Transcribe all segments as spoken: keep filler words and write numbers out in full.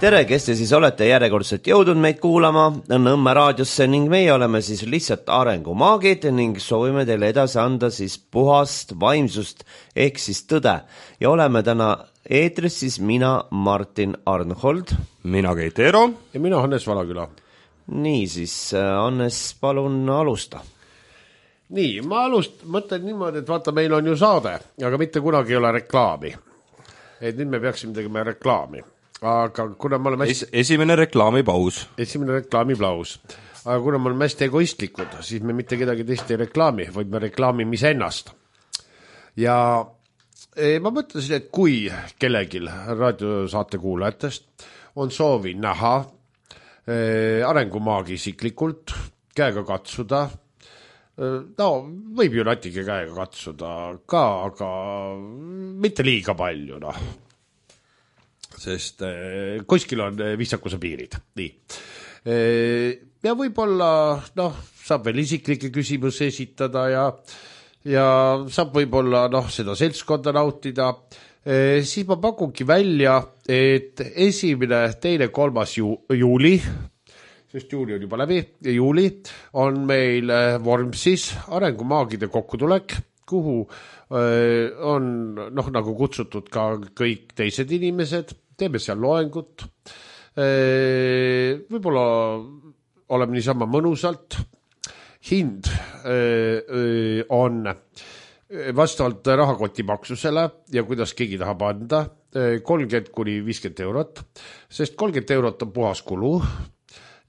tere, kes te siis olete järjekordselt jõudnud meid kuulama Nõmme raadiosse ning meie oleme siis lihtsalt arengumaagid ning soovime teile edasi anda siis puhast vaimsust ehk siis tõde. Ja oleme täna eetris siis mina, Martin Arnhold. Mina Keit Eero. Ja mina Hannes Valaküla. Nii siis, Hannes, palun alusta. Nii, ma alust, mõtlen niimoodi, et vaata, meil on ju saade, aga mitte kunagi ei ole reklaami. Et nüüd me peaksime tegema reklaami. Aga kuna me oleme hästi... Es, esimene reklaamipaus. Esimene reklaamipaus. Aga kuna me oleme hästi egoistlikud, siis me mitte kedagi teist ei reklaami, vaid me reklaamime ennast. Ja ma mõtlesin, et kui kellegil raadiosaate kuulajatest on soovi näha arengumaagi isiklikult, käega katsuda, no võib ju natuke käega katsuda ka, aga mitte liiga palju, noh. Sest eh, kuskil on viisakuse piirid. Nii. Eh, ja võib-olla noh, saab veel isiklikke küsimusi esitada ja, ja saab võib-olla noh, seda seltskonda nautida. Eh, siis ma pakungi välja, et esimene, teine, kolmas ju, juuli, sest juuli on juba läbi, juuli on meil Vormsis arengumaagide kokkutulek, kuhu eh, on noh, nagu kutsutud ka kõik teised inimesed. Teeme seal loengut, võib-olla oleme niisama mõnusalt. Hind on vastavalt rahakoti maksusele ja kuidas keegi tahab anda kolmkümmend kuni viiskümmend eurot, sest kolmkümmend eurot on puhas kulu.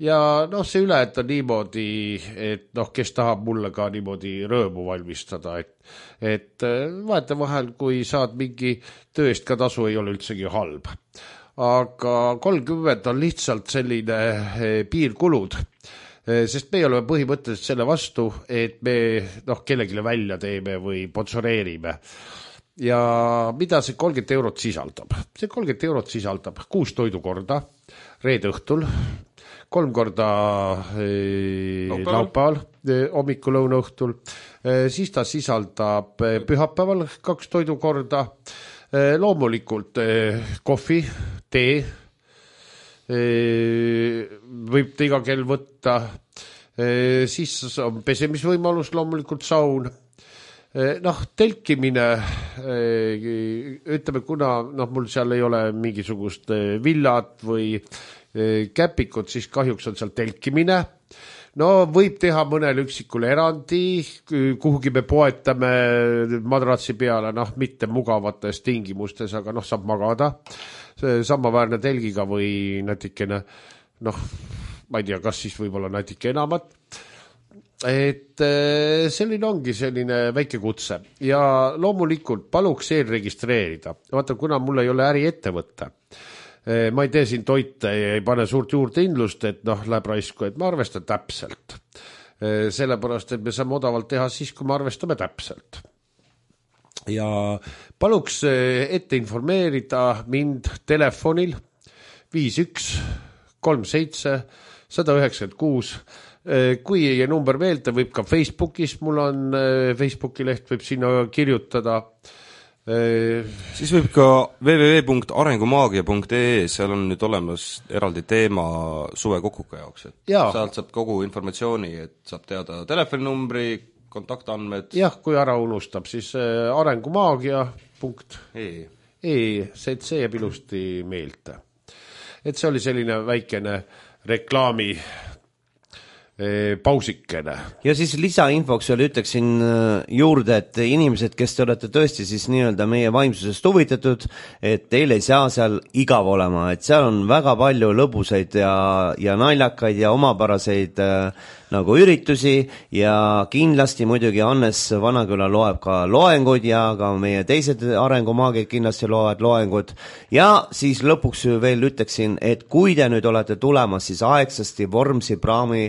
Ja noh, see üle, et on niimoodi, et noh, kes tahab mulle ka niimoodi rõõmu valmistada, et, et vaata vahel, kui saad mingi tööst ka tasu, ei ole üldsegi halb. Aga kolmkümmend on lihtsalt selline piirkulud, sest me oleme põhimõtteliselt selle vastu, et me noh, kellegile välja teeme või sponsoreerime. Ja mida see kolmkümmend eurot sisaldab? See kolmkümmend eurot sisaldab kuus toidukorda reede õhtul, kolm korda eh, laupäeval, eh, hommikul lõuna õhtul, eh, siis ta sisaldab eh, pühapäeval kaks toidukorda, eh, loomulikult eh, kohvi, tee, eh, võib ta iga kell võtta, eh, siis on pesemisvõimalus, loomulikult saun, eh, noh, telkimine, eh, ütleme, kuna noh, mul seal ei ole mingisugust eh, villat või käpikud, siis kahjuks on seal telkimine. No võib teha mõnel üksikule erandi, kuhugi me poetame madratsi peale, noh, mitte mugavates tingimustes, aga noh, saab magada. Samaväärne telgiga või natikene, noh, ma ei tea, kas siis võib-olla natuke enamat. Et selline ongi selline väike kutse. Ja loomulikult paluks eelregistreerida. Vaata, kuna mul ei ole äri ettevõtte, ma ei tee siin toite ja ei pane suurt juurde indlust, et noh, läheb raisku, et ma arvestan täpselt. Sellepärast, et me saame odavalt teha siis, kui me arvestame täpselt. Ja paluks ette informeerida mind telefonil viis üks kolm seitse üks üheksa kuus. Kui ei number meelde, võib ka Facebookis, mul on Facebooki leht, võib sinna kirjutada. Siis võib ka w w w punkt arengumaagia punkt e e, seal on nüüd olemas eraldi teema suve kokkuka jaoks, et ja. Sealt saab kogu informatsiooni, et saab teada telefoninumbri, kontaktandmed. Jah, kui ära unustab, siis arengumaagia punkt e e, see, see jääb ilusti meelde. Et see oli selline väikene reklaami pausikene. Ja siis lisainfoks veel ütleksin juurde, et inimesed, kes te olete tõesti siis nii-öelda meie vaimsusest huvitatud, et teil ei saa seal igav olema, et seal on väga palju lõbusaid ja, ja naljakaid ja omapäraseid äh, nagu üritusi ja kindlasti muidugi Hannes Vanaküla loeb ka loenguid ja ka meie teised arengumaagid kindlasti loevad loengud. Ja siis lõpuks veel ütleksin, et kui te nüüd olete tulemas, siis aegsasti Vormsi praami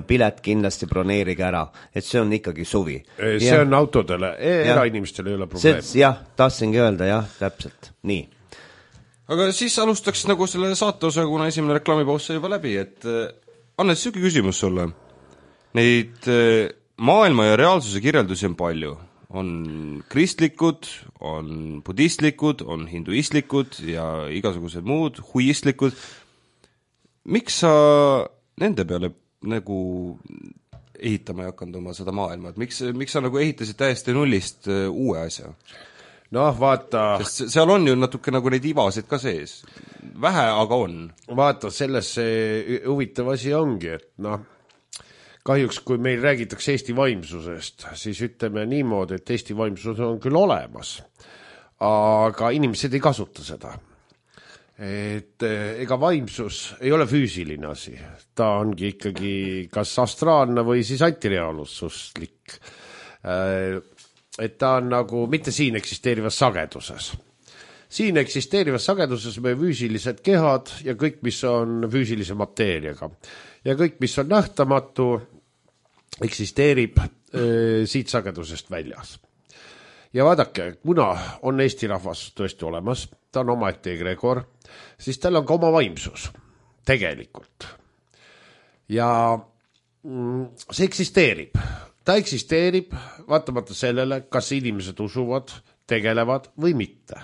pilet kindlasti broneerige ära, et see on ikkagi suvi. See ja. On autodele, erainimestele ei ole probleem. Jah, tahtsingi öelda, jah, täpselt, nii. Aga siis alustaks nagu selle saateosa, kuna esimene reklaamipaus sai juba läbi, et Hannes, süki küsimus sulle. Neid maailma ja reaalsuse kirjeldusi on palju. on kristlikud, on budistlikud, on hinduistlikud ja igasugused muud, huistlikud. Miks sa nende peale nagu ehitama ei hakanud oma seda maailma? Et miks, miks sa nagu ehitasid täiesti nullist uue asja? Noh, vaata... Sest seal on ju natuke nagu neid ivasid ka sees. Vähe, aga on. Vaata, selles see huvitav asi ongi, et noh, kahjuks, kui meil räägitakse Eesti vaimsusest, siis ütleme niimoodi, et Eesti vaimsus on küll olemas, aga inimesed ei kasuta seda. Et ega vaimsus ei ole füüsiline asi. Ta ongi ikkagi kas astraalne või siis antireaalsuslik. Et ta on nagu mitte siin eksisteerivas sageduses. Siin eksisteerivas sageduses me füüsilised kehad ja kõik, mis on füüsilise mateeriaga. Ja kõik, mis on nähtamatu, eksisteerib äh, siit sagedusest väljas. Ja vaadake, kuna on Eesti rahvas tõesti olemas, ta on omaette egregor, siis tal on ka oma vaimsus, tegelikult. Ja mm, see eksisteerib. Ta eksisteerib vaatamata sellele, kas inimesed usuvad, tegelevad või mitte.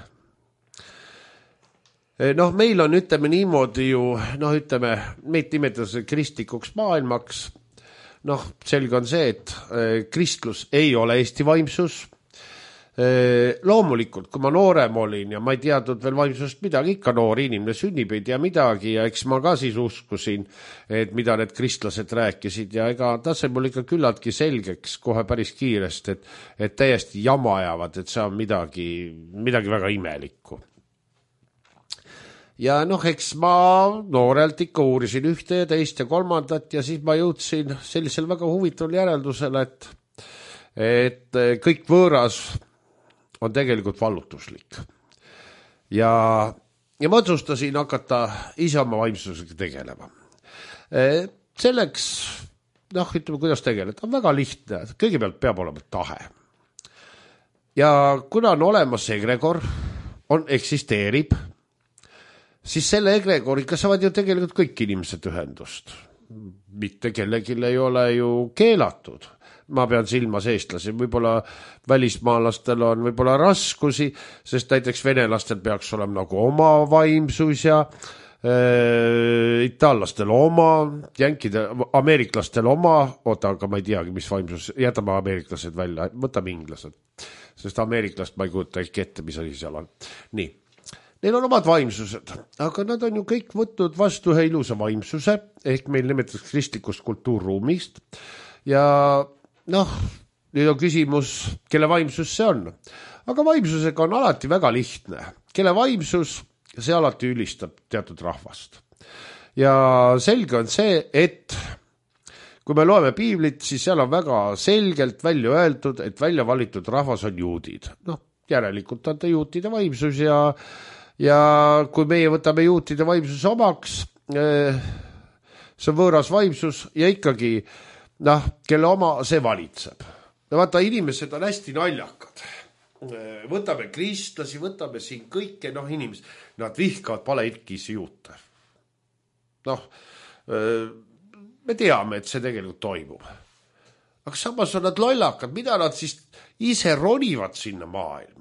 Noh, meil on, ütleme niimoodi ju, noh, ütleme, meid nimetatakse kristlikuks maailmaks. Noh, selge on see, et kristlus ei ole Eesti vaimsus. Loomulikult, kui ma noorem olin ja ma ei teadnud veel vaimsusest midagi, ikka noor inimene sünnib ei tea midagi ja eks ma ka siis uskusin, et mida need kristlased rääkisid ja ega ta sai mul ikka küllaltki selgeks kohe päris kiiresti, et, et täiesti jama ajavad, et see on midagi, midagi väga imelikku. Ja noh, eks ma noorelt ikka uurisin ühte ja teist ja kolmandat ja siis ma jõudsin sellisel väga huvitaval järeldusele, et, et kõik võõras on tegelikult vallutuslik. Ja, ja ma otsustasin hakata ise oma vaimsusega tegelema. Selleks, noh, ütleme, kuidas tegeleda, on väga lihtne. Kõigepealt peab olema tahe. Ja kuna on olemas egregor, on, eksisteerib, siis selle egregoriga saavad ju tegelikult kõik inimesed ühendust. Mitte kellelgi ei ole ju keelatud. Ma pean silmas eestlasi, võib-olla välismaalastel on võib-olla raskusi, sest näiteks venelastel peaks olema nagu oma vaimsus ja äh, itaallastel oma, jänkide, ameeriklastel oma, oota, aga ma ei teagi, mis vaimsus, jätame ameeriklased välja, võtame inglased, sest ameeriklast ma ei kujuta ehk ette, mis asi seal on. Nii. Neil on omad vaimsused, aga nad on ju kõik võtnud vastu ühe ilusa vaimsuse, ehk meil nimetatakse kristlikust kultuurruumist. Ja noh, nüüd on küsimus, kelle vaimsus see on. Aga vaimsusega on alati väga lihtne. Kelle vaimsus, see alati ülistab teatud rahvast. Ja selge on see, et kui me loeme piiblit, siis seal on väga selgelt välja öeldud, et välja valitud rahvas on juudid. Noh, järelikult on ta juutide vaimsus ja Ja kui meie võtame juutide vaimsuse omaks, see on võõras vaimsus ja ikkagi, noh, kelle oma see valitseb. Ja vaata, inimesed on hästi naljakad. Võtame kristlasi, võtame siin kõike, noh, inimesed, nad vihkavad palehirkisi juute. Noh, me teame, et see tegelikult toimub. Aga samas on nad lollakad, mida nad siis ise ronivad sinna maailma.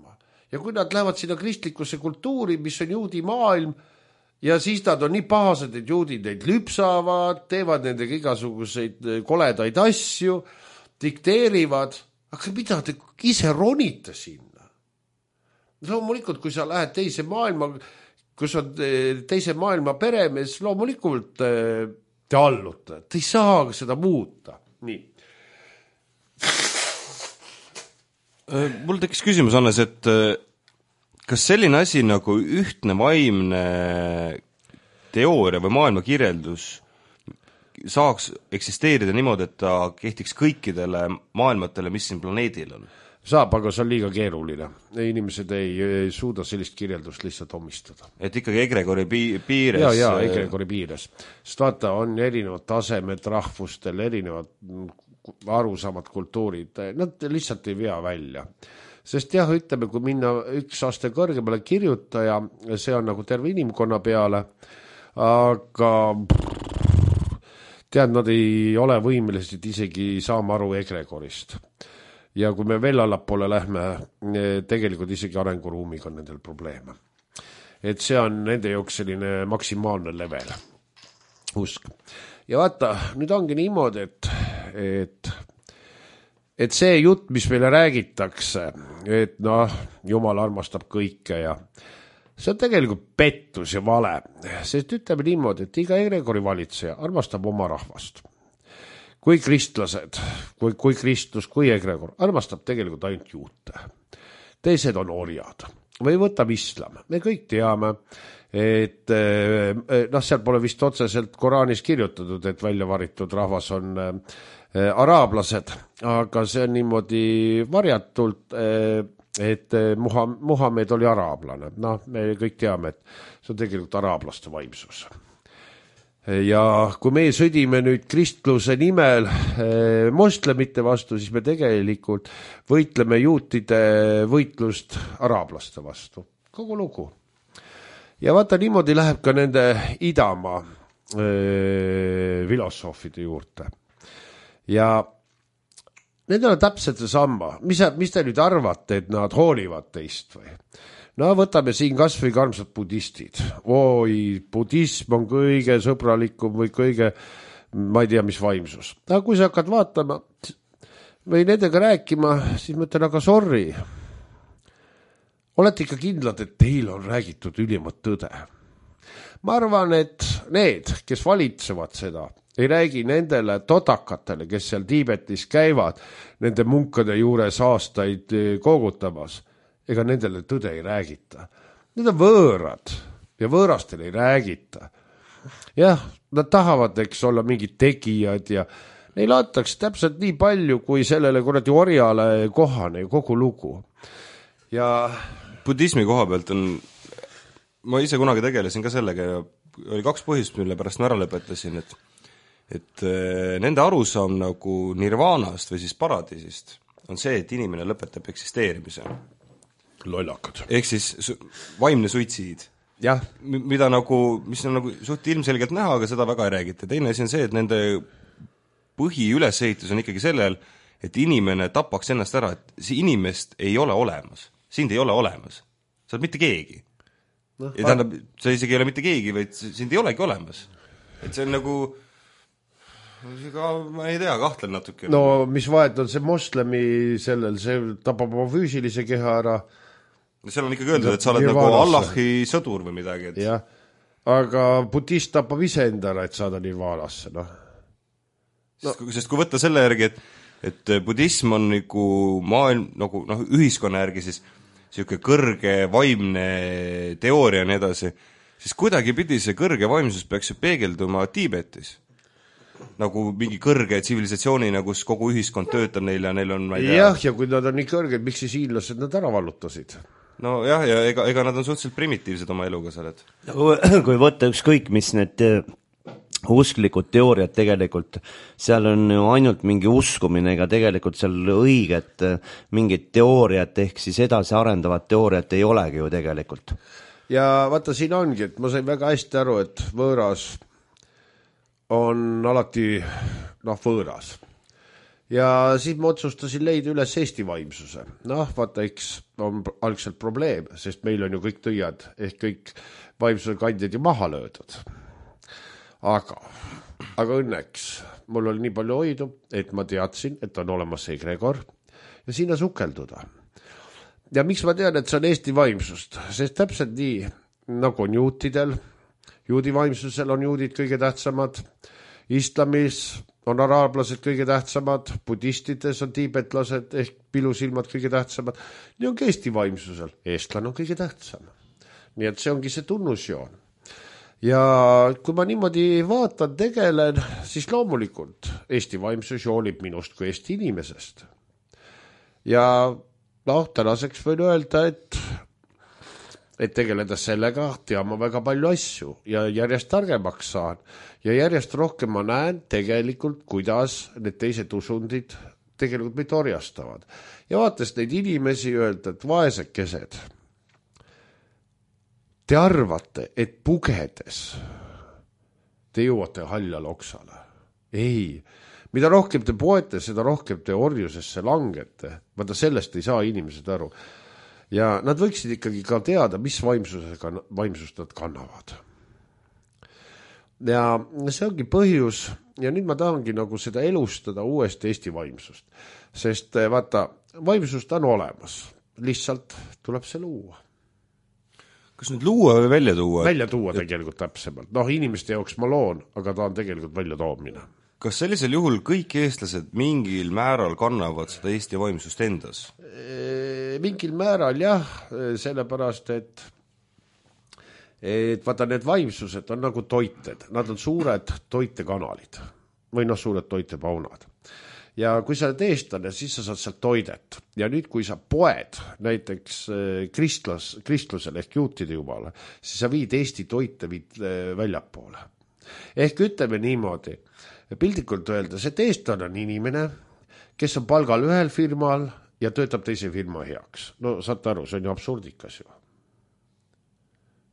Ja kui nad lähevad sinna kristlikusse kultuuri, mis on juudi maailm, ja siis nad on nii pahased, et juudid neid lüpsavad, teevad nendega igasuguseid koledaid asju, dikteerivad, aga mida te ise ronite sinna? Loomulikult, kui sa lähed teise maailma, kus on teise maailma peremees, loomulikult te allute, te ei saa seda muuta. Nii. Mul tekkis küsimus, Hannes, et kas selline asi nagu ühtne vaimne teooria või maailmakirjeldus saaks eksisteerida niimoodi, et ta kehtiks kõikidele maailmatele, mis siin planeedil on? Saab, aga see on liiga keeruline. Inimesed ei, ei suuda sellist kirjeldust lihtsalt omistada. Et ikkagi egregori piires? Ja, ja, egregori piires. Sest vaata, on erinevad tasemed rahvustel, erinevad arusamad kultuurid, nad lihtsalt ei vea välja. Sest jah, ütleme, kui minna üks aste kõrgemale kirjutaja, see on nagu terve inimkonna peale, aga tead, nad ei ole võimelised isegi saama aru egregorist. ja kui me veel allapoole lähme, tegelikult isegi arenguruumiga on nendel probleeme. Et see on nende jaoks selline maksimaalne level, usk. Ja vaata, nüüd ongi niimoodi, et, et, et see jutt, mis meile räägitakse, et noh, Jumal armastab kõike ja see on tegelikult pettus ja vale, sest ütleme niimoodi, et iga egregori valitseja armastab oma rahvast. Kui kristlased, kui, kui kristlus, kui egregor, armastab tegelikult ainult juute. Teised on orjad või võtab islam. Me kõik teame, et noh, seal pole vist otseselt Koraanis kirjutatud, et välja varitud rahvas on araablased, aga see on niimoodi varjatult, et Muhamed oli araablane. Noh, me kõik teame, et see on tegelikult araablaste vaimsus. Ja kui me sõdime nüüd kristluse nimel moslemite vastu, siis me tegelikult võitleme juutide võitlust araablaste vastu. Kogu lugu. Ja vaata, niimoodi läheb ka nende idamaa filosoofide juurde. Ja nendel on täpselt see samma. Mis, mis te nüüd arvate, et nad hoolivad teist või? No võtame siin kas või karmsad budistid. Oi, budism on kõige sõbralikum või kõige, ma ei tea, mis vaimsus. Aga kui sa hakkad vaatama või nendega rääkima, siis mõtlen, aga sorry. Olete ikka kindlad, et teil on räägitud ülimat tõde. Ma arvan, et need, kes valitsevad seda, ei räägi nendele todakatele, kes seal Tiibetis käivad, nende munkade juures aastaid koogutamas. Ega nendele tõde ei räägita. Need on võõrad ja võõrastel ei räägita. Jah, nad tahavad, eks olla mingid tegijad ja neil antakse täpselt nii palju, kui sellele kuradi orjale kohane kogu lugu. Ja budismi koha pealt on, ma ise kunagi tegelesin ka sellega ja oli kaks põhjust, mille pärast ma ära lõpetasin, et et nende arusaam nagu nirvaanast või siis paradiisist on see, et inimene lõpetab eksisteerimise. Lollakad. Ehk siis vaimne suitsiid. Jah. Mida nagu, mis on nagu suht ilmselgelt näha, aga seda väga ei räägita. Teine asi on see, et nende põhiülesehitus on ikkagi sellel, et inimene tapaks ennast ära, et see inimest ei ole olemas. Sind ei ole olemas. Sa oled mitte keegi. No, ja tähendab, sa isegi ei ole mitte keegi, vaid sind ei olegi olemas. Et see on nagu Ka, ma ei tea, kahtlen natuke. No mis vahet on see moslemi sellel, see tapab oma füüsilise keha ära. Seal on ikkagi öeldud, et sa oled nagu Allahi sõdur või midagi. Et... jah, aga budist tapab ise enda ära, et saada nirvaanasse. No. No. Sest, sest kui võtta selle järgi, et, et budism on nagu maailm, nagu noh, ühiskonna järgi siis siuke kõrge vaimne teooria ja nii edasi, siis kuidagi pidi see kõrge vaimsus peaks ju peegelduma Tiibetis. Nagu mingi kõrge tsivilisatsioonina, kus kogu ühiskond töötab neil ja neil on ma ei tea. Jah, ja kui nad on nii kõrged, miks siis hiinlased nad ära vallutasid? No jah, ja ega, ega nad on suhteliselt primitiivsed oma eluga seal, et kui võtta ükskõik, mis need usklikud teooriad tegelikult, seal on ju ainult mingi uskumine, ega tegelikult seal õiget mingit teooriat ehk siis edasi arendavat teooriat ei olegi ju tegelikult. Ja vaata, siin ongi, et ma sain väga hästi aru, et võõras on alati noh, võõras. Ja siis ma otsustasin leida üles Eesti vaimsuse. Noh, vaata, eks on algselt probleem, sest meil on ju kõik tõiad ehk kõik vaimsuse kandjad ju maha löödud. Aga, aga õnneks mul oli nii palju hoidu, et ma teadsin, et on olemas egregor ja sinna sukelduda. Ja miks ma tean, et see on Eesti vaimsust? Sest täpselt nii, nagu on juutidel, juudi vaimsusel on juudid kõige tähtsamad, islamis on araablased kõige tähtsamad, budistides on tiibetlased ehk pilusilmad kõige tähtsamad, nii on ka Eesti vaimsusel, eestlane on kõige tähtsam. Nii et see ongi see tunnusjoon. Ja kui ma niimoodi vaatan, tegelen, siis loomulikult Eesti vaimsus joolib minust kui Eesti inimesest. Ja noh, tänaseks võin öelda, et et tegeleda sellega, tean ma väga palju asju ja järjest targemaks saan. Ja järjest rohkem ma näen tegelikult, kuidas need teised usundid tegelikult meid orjastavad. Ja vaates neid inimesi öelda, et vaesekesed, te arvate, et pugedes te jõuate haljale oksale. Ei, mida rohkem te poete, seda rohkem te orjusesse langete. Vaata, sellest ei saa inimesed aru. Ja nad võiksid ikkagi ka teada, mis vaimsusega, vaimsust nad kannavad. Ja see ongi põhjus, ja nüüd ma tahangi nagu seda elustada uuesti Eesti vaimsust. Sest vaata, vaimsust on olemas. Lihtsalt tuleb see luua. Kas nüüd luua või välja tuua? Välja tuua tegelikult täpsemalt. Noh, inimeste jaoks ma loon, aga ta on tegelikult välja toomine. Kas sellisel juhul kõik eestlased mingil määral kannavad seda Eesti vaimsust endas? Mingil määral jah, sellepärast, et et vaata, need vaimsused on nagu toited. Nad on suured toitekanalid või noh, suured toitepaunad. Ja kui sa oled eestlane, siis sa saad sealt toidet. Ja nüüd, kui sa poed näiteks kristlus, kristlusele ehk juutide jumala, siis sa viid Eesti toite viid väljapoole. Ehk ütleme niimoodi, pildikult öeldes, et eestlane on inimene, kes on palgal ühel firmal ja töötab teise firma heaks. No saate aru, see on ju absurdikas ju.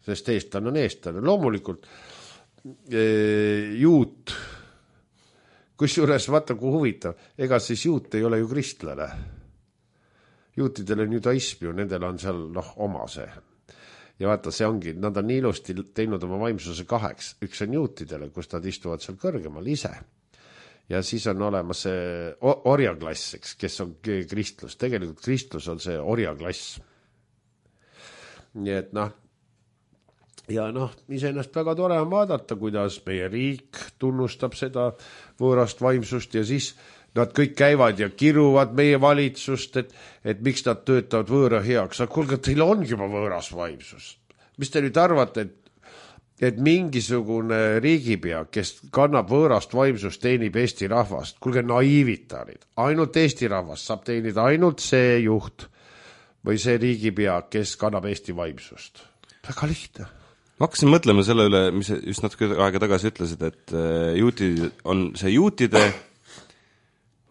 Sest eestlane on eestlane. Loomulikult e, juut kusjuures vaata, kui huvitav, ega siis juut ei ole ju kristlane. Juutidel on judaism ju, nendel on seal noh, oma see. Ja vaata, see ongi, nad on nii ilusti teinud oma vaimsuse kaheks. Üks on juutidele, kus nad istuvad seal kõrgemal ise. Ja siis on olemas see orjaklass, kes on kristlus. Tegelikult kristlus on see orjaklass. Nii et noh, ja noh, iseennast väga tore on vaadata, kuidas meie riik tunnustab seda võõrast vaimsust ja siis nad kõik käivad ja kiruvad meie valitsust, et, et miks nad töötavad võõra heaks. Aga kuulge, teil ongi juba võõras vaimsus. Mis te nüüd arvate, et, et mingisugune riigipea, kes kannab võõrast vaimsust, teenib Eesti rahvast? Kuulge, naiivitarid. Ainult Eesti rahvast saab teenida ainult see juht või see riigipea, kes kannab Eesti vaimsust. Väga lihtne. Ma hakkasin mõtlema selle üle, mis just natuke aega tagasi ütlesid, et juutid on see juutide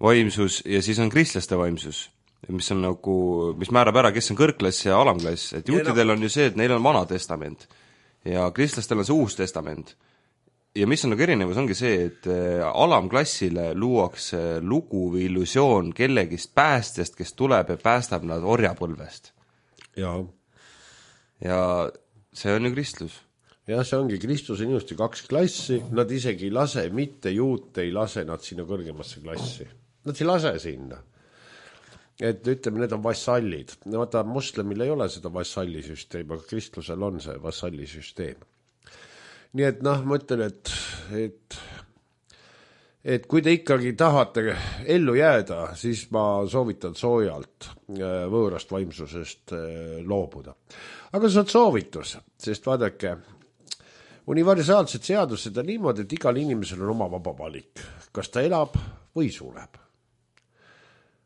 vaimsus ja siis on kristlaste vaimsus, mis on nagu, mis määrab ära, kes on kõrgklass ja alamklass. Et juutidel on ju see, et neil on vana testament ja kristlastel on see uus testament. Ja mis on nagu erinevus, ongi see, et alamklassile luuakse lugu või illusioon kellegist päästjast, kes tuleb ja päästab nad orjapõlvest. Ja. Ja see on ju kristlus. Ja see ongi, kristlus on ilusti kaks klassi, nad isegi ei lase, mitte juut ei lase nad sinna kõrgemasse klassi. Nad ei lase sinna. Et ütleme, need on vassallid. Vaata, moslemil ei ole seda vassallisüsteem, aga kristlusel on see vassallisüsteem. Nii et noh, ma ütlen, et, et, et kui te ikkagi tahate ellu jääda, siis ma soovitan soojalt võõrast vaimsusest loobuda. Aga see on soovitus, sest vaadake, universaalsed seadused on niimoodi, et igal inimesel on oma vaba valik. Kas ta elab või sureb?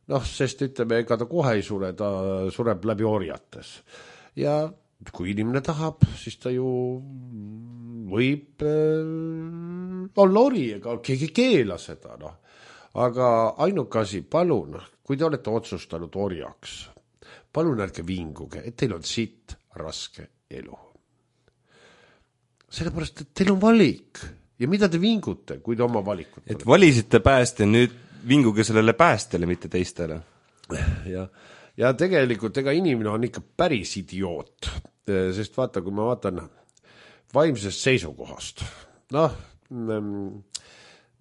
Noh, sest ütleme, ega ta kohe ei sure, ta sureb läbi orjates. Ja kui inimene tahab, siis ta ju võib äh, olla ori, ega keegi keela seda. No. Aga ainuke asi, palun, kui te olete otsustanud orjaks, palun ärge vinguge, et teil on sitt raske elu. Sellepärast, et teil on valik. Ja mida te vingute, kui te oma valikut? Et valisite pääste, nüüd vinguge sellele päästele, mitte teistele. Ja, ja tegelikult ega inimene on ikka päris idioot. Sest vaata, kui ma vaatan vaimsest seisukohast. Noh,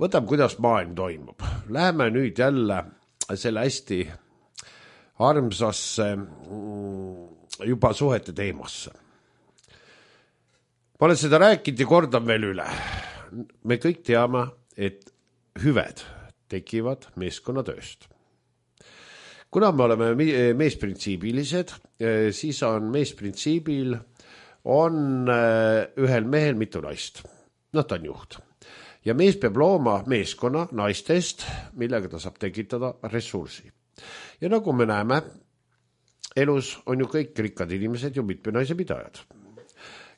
võtame, kuidas maailm toimub. Läheme nüüd jälle selle hästi armsasse juba suhete teemasse. Ma olen seda rääkinud ja kordan veel üle. Me kõik teame, et hüved tekivad meeskonnatööst. Kuna me oleme meesprintsiibilised, siis on meesprintsiibil on ühel mehel mitu naist. Noh, ta on juht. Ja mees peab looma meeskonna naistest, millega ta saab tekitada ressursi. Ja nagu me näeme, elus on ju kõik rikkad inimesed ju mitme naise pidajad.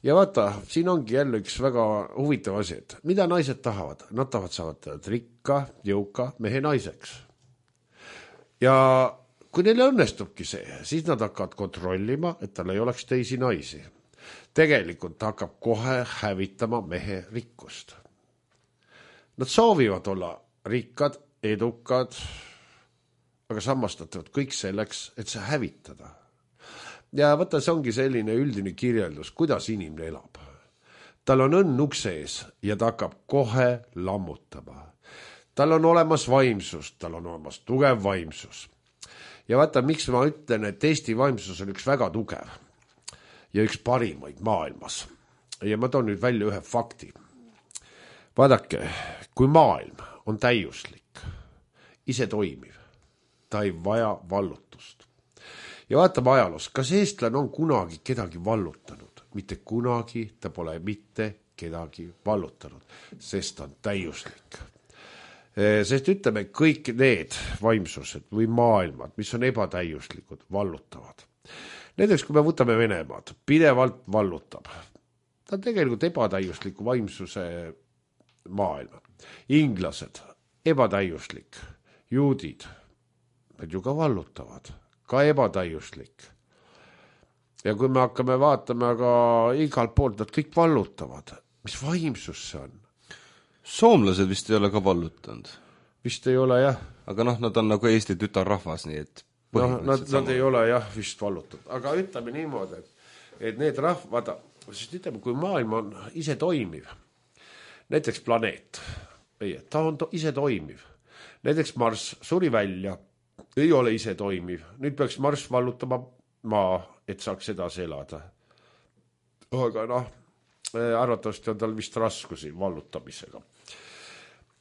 Ja vaata, siin ongi jälle üks väga huvitav asi, et mida naised tahavad? Nad tahavad saada rikka, jõuka mehe naiseks. Ja kui neile õnnestubki see, siis nad hakkavad kontrollima, et tal ei oleks teisi naisi. Tegelikult hakkab kohe hävitama mehe rikkust. Nad soovivad olla rikkad edukad, aga sammastatavad kõik selleks, et see hävitada. Ja võtta, see ongi selline üldine kirjeldus, kuidas inimene elab. Tal on õnn ukse ees ja ta hakkab kohe lammutama. Tal on olemas vaimsus, tal on olemas tugev vaimsus. Ja vaata, miks ma ütlen, et Eesti vaimsus on üks väga tugev ja üks parimaid maailmas. Ja ma toon nüüd välja ühe fakti. Vaadake, kui maailm on täiuslik, ise toimiv, ta ei vaja vallutust. Ja vaatame ajaloos, kas eestlane on kunagi kedagi vallutanud? Mitte kunagi ta pole mitte kedagi vallutanud, sest ta on täiuslik. Sest ütleme, kõik need vaimsused või maailmad, mis on ebatäiuslikud, vallutavad. Näiteks, kui me võtame Venemaad, pidevalt vallutab. Ta on tegelikult ebatäiusliku vaimsuse maailma. Inglased, ebatäiuslik. Juudid, nad ju ka vallutavad, ka ebatäiuslik. Ja kui me hakkame vaatama, aga igalt poolt nad kõik vallutavad. Mis vaimsus see on? Soomlased vist ei ole ka vallutanud. Vist ei ole, jah. Aga noh, nad on nagu Eesti tütarrahvas, nii et no, nad, nad ei ole, jah, vist vallutanud. Aga ütleme niimoodi, et, et need rahvad, sest ütleme, kui maailm on ise toimiv, näiteks planeet, ta on to, ise toimiv. Näiteks Marss suri välja, ei ole ise toimiv. Nüüd peaks Marss vallutama maa, et saaks edasi elada. Aga noh, arvatavasti on tal vist raskusi vallutamisega.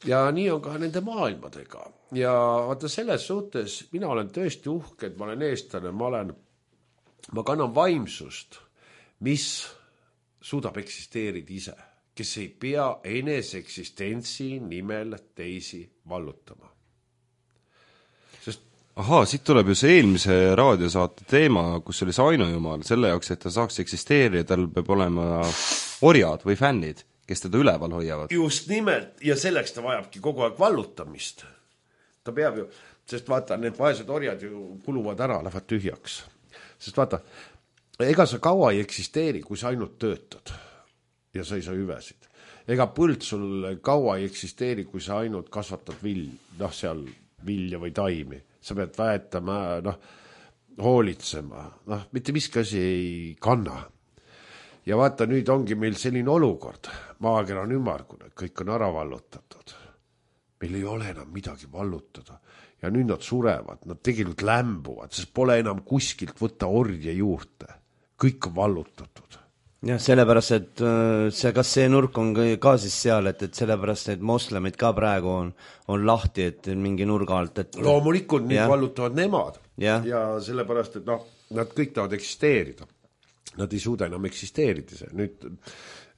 Ja nii on ka nende maailmadega. Ja vaata selles suhtes, mina olen tõesti uhke, et ma olen eestlane, ma olen, ma kannan vaimsust, mis suudab eksisteerida ise, kes ei pea enese eksistentsi nimel teisi vallutama. Sest ahaa, siit tuleb ju see eelmise raadiosaate teema, kus oli see ainujumal, selle jaoks, et ta saaks eksisteerida, tal peab olema orjad või fännid, kes teda üleval hoiavad. Just nimelt, ja selleks ta vajabki kogu aeg vallutamist. Ta peab ju, sest vaata, need vaesed orjad ju kuluvad ära, lähevad tühjaks. Sest vaata, ega sa kaua ei eksisteeri, kui sa ainult töötad ja sa ei saa hüvesid. Ega põld sul kaua ei eksisteeri, kui sa ainult kasvatad vill, noh, seal vilja või taimi. Sa pead väetama, noh, hoolitsema, noh, mitte miski asi ei kanna. Ja vaata, nüüd ongi meil selline olukord. Maakera on ümmargune, kõik on ära vallutatud. Meil ei ole enam midagi vallutada. Ja nüüd nad surevad, nad tegelikult lämbuvad, sest pole enam kuskilt võtta orje juurde. Kõik on vallutatud. jah, sellepärast, et see, kas see nurk on ka siis seal, et, et sellepärast, et moslemid ka praegu on, on lahti, et mingi nurga alt, et loomulikult nüüd vallutavad nemad ja. ja sellepärast, et noh, nad kõik tahavad eksisteerida. Nad ei suuda enam eksisteerida. Nüüd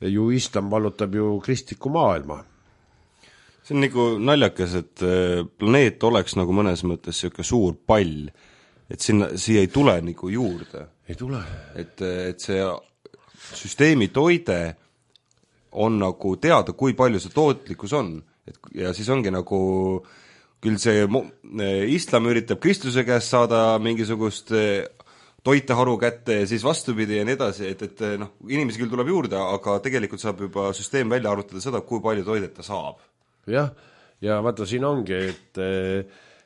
ju islam vallutab ju kristliku maailma. See on nagu naljakas, et planeet oleks nagu mõnes mõttes selline suur pall, et sinna, siia ei tule nagu juurde. Ei tule. Et, et see süsteemi toide on nagu teada, kui palju see tootlikkus on. Et, ja siis ongi nagu, küll see islam üritab Kristuse käest saada mingisugust toiteharu kätte ja siis vastupidi ja nii edasi, et, et noh, inimesi küll tuleb juurde, aga tegelikult saab juba süsteem välja arvutada seda, kui palju toidet ta saab. Jah, ja vaata siin ongi, et,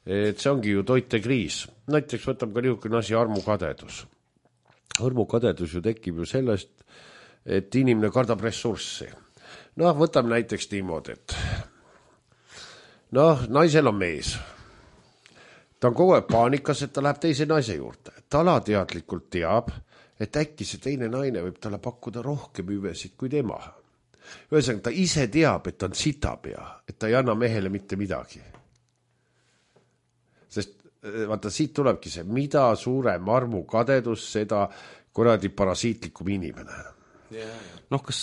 et see ongi ju toitekriis. Näiteks võtab ka niisugune asi armukadedus. Armukadedus ju tekib ju sellest, et inimene kardab ressurssi. Noh, võtame näiteks niimoodi, et noh, naisel on mees. Ta on kogu aeg paanikas, et ta läheb teise naise juurde. Ta alateadlikult teab, et äkki see teine naine võib talle pakkuda rohkem hüvesid kui tema. Ühesõnaga, ta ise teab, et ta on sitapea, et ta ei anna mehele mitte midagi. Sest vaata, siit tulebki see, mida suurem armukadedus, seda kuradi parasiitlikum inimene. Noh, kas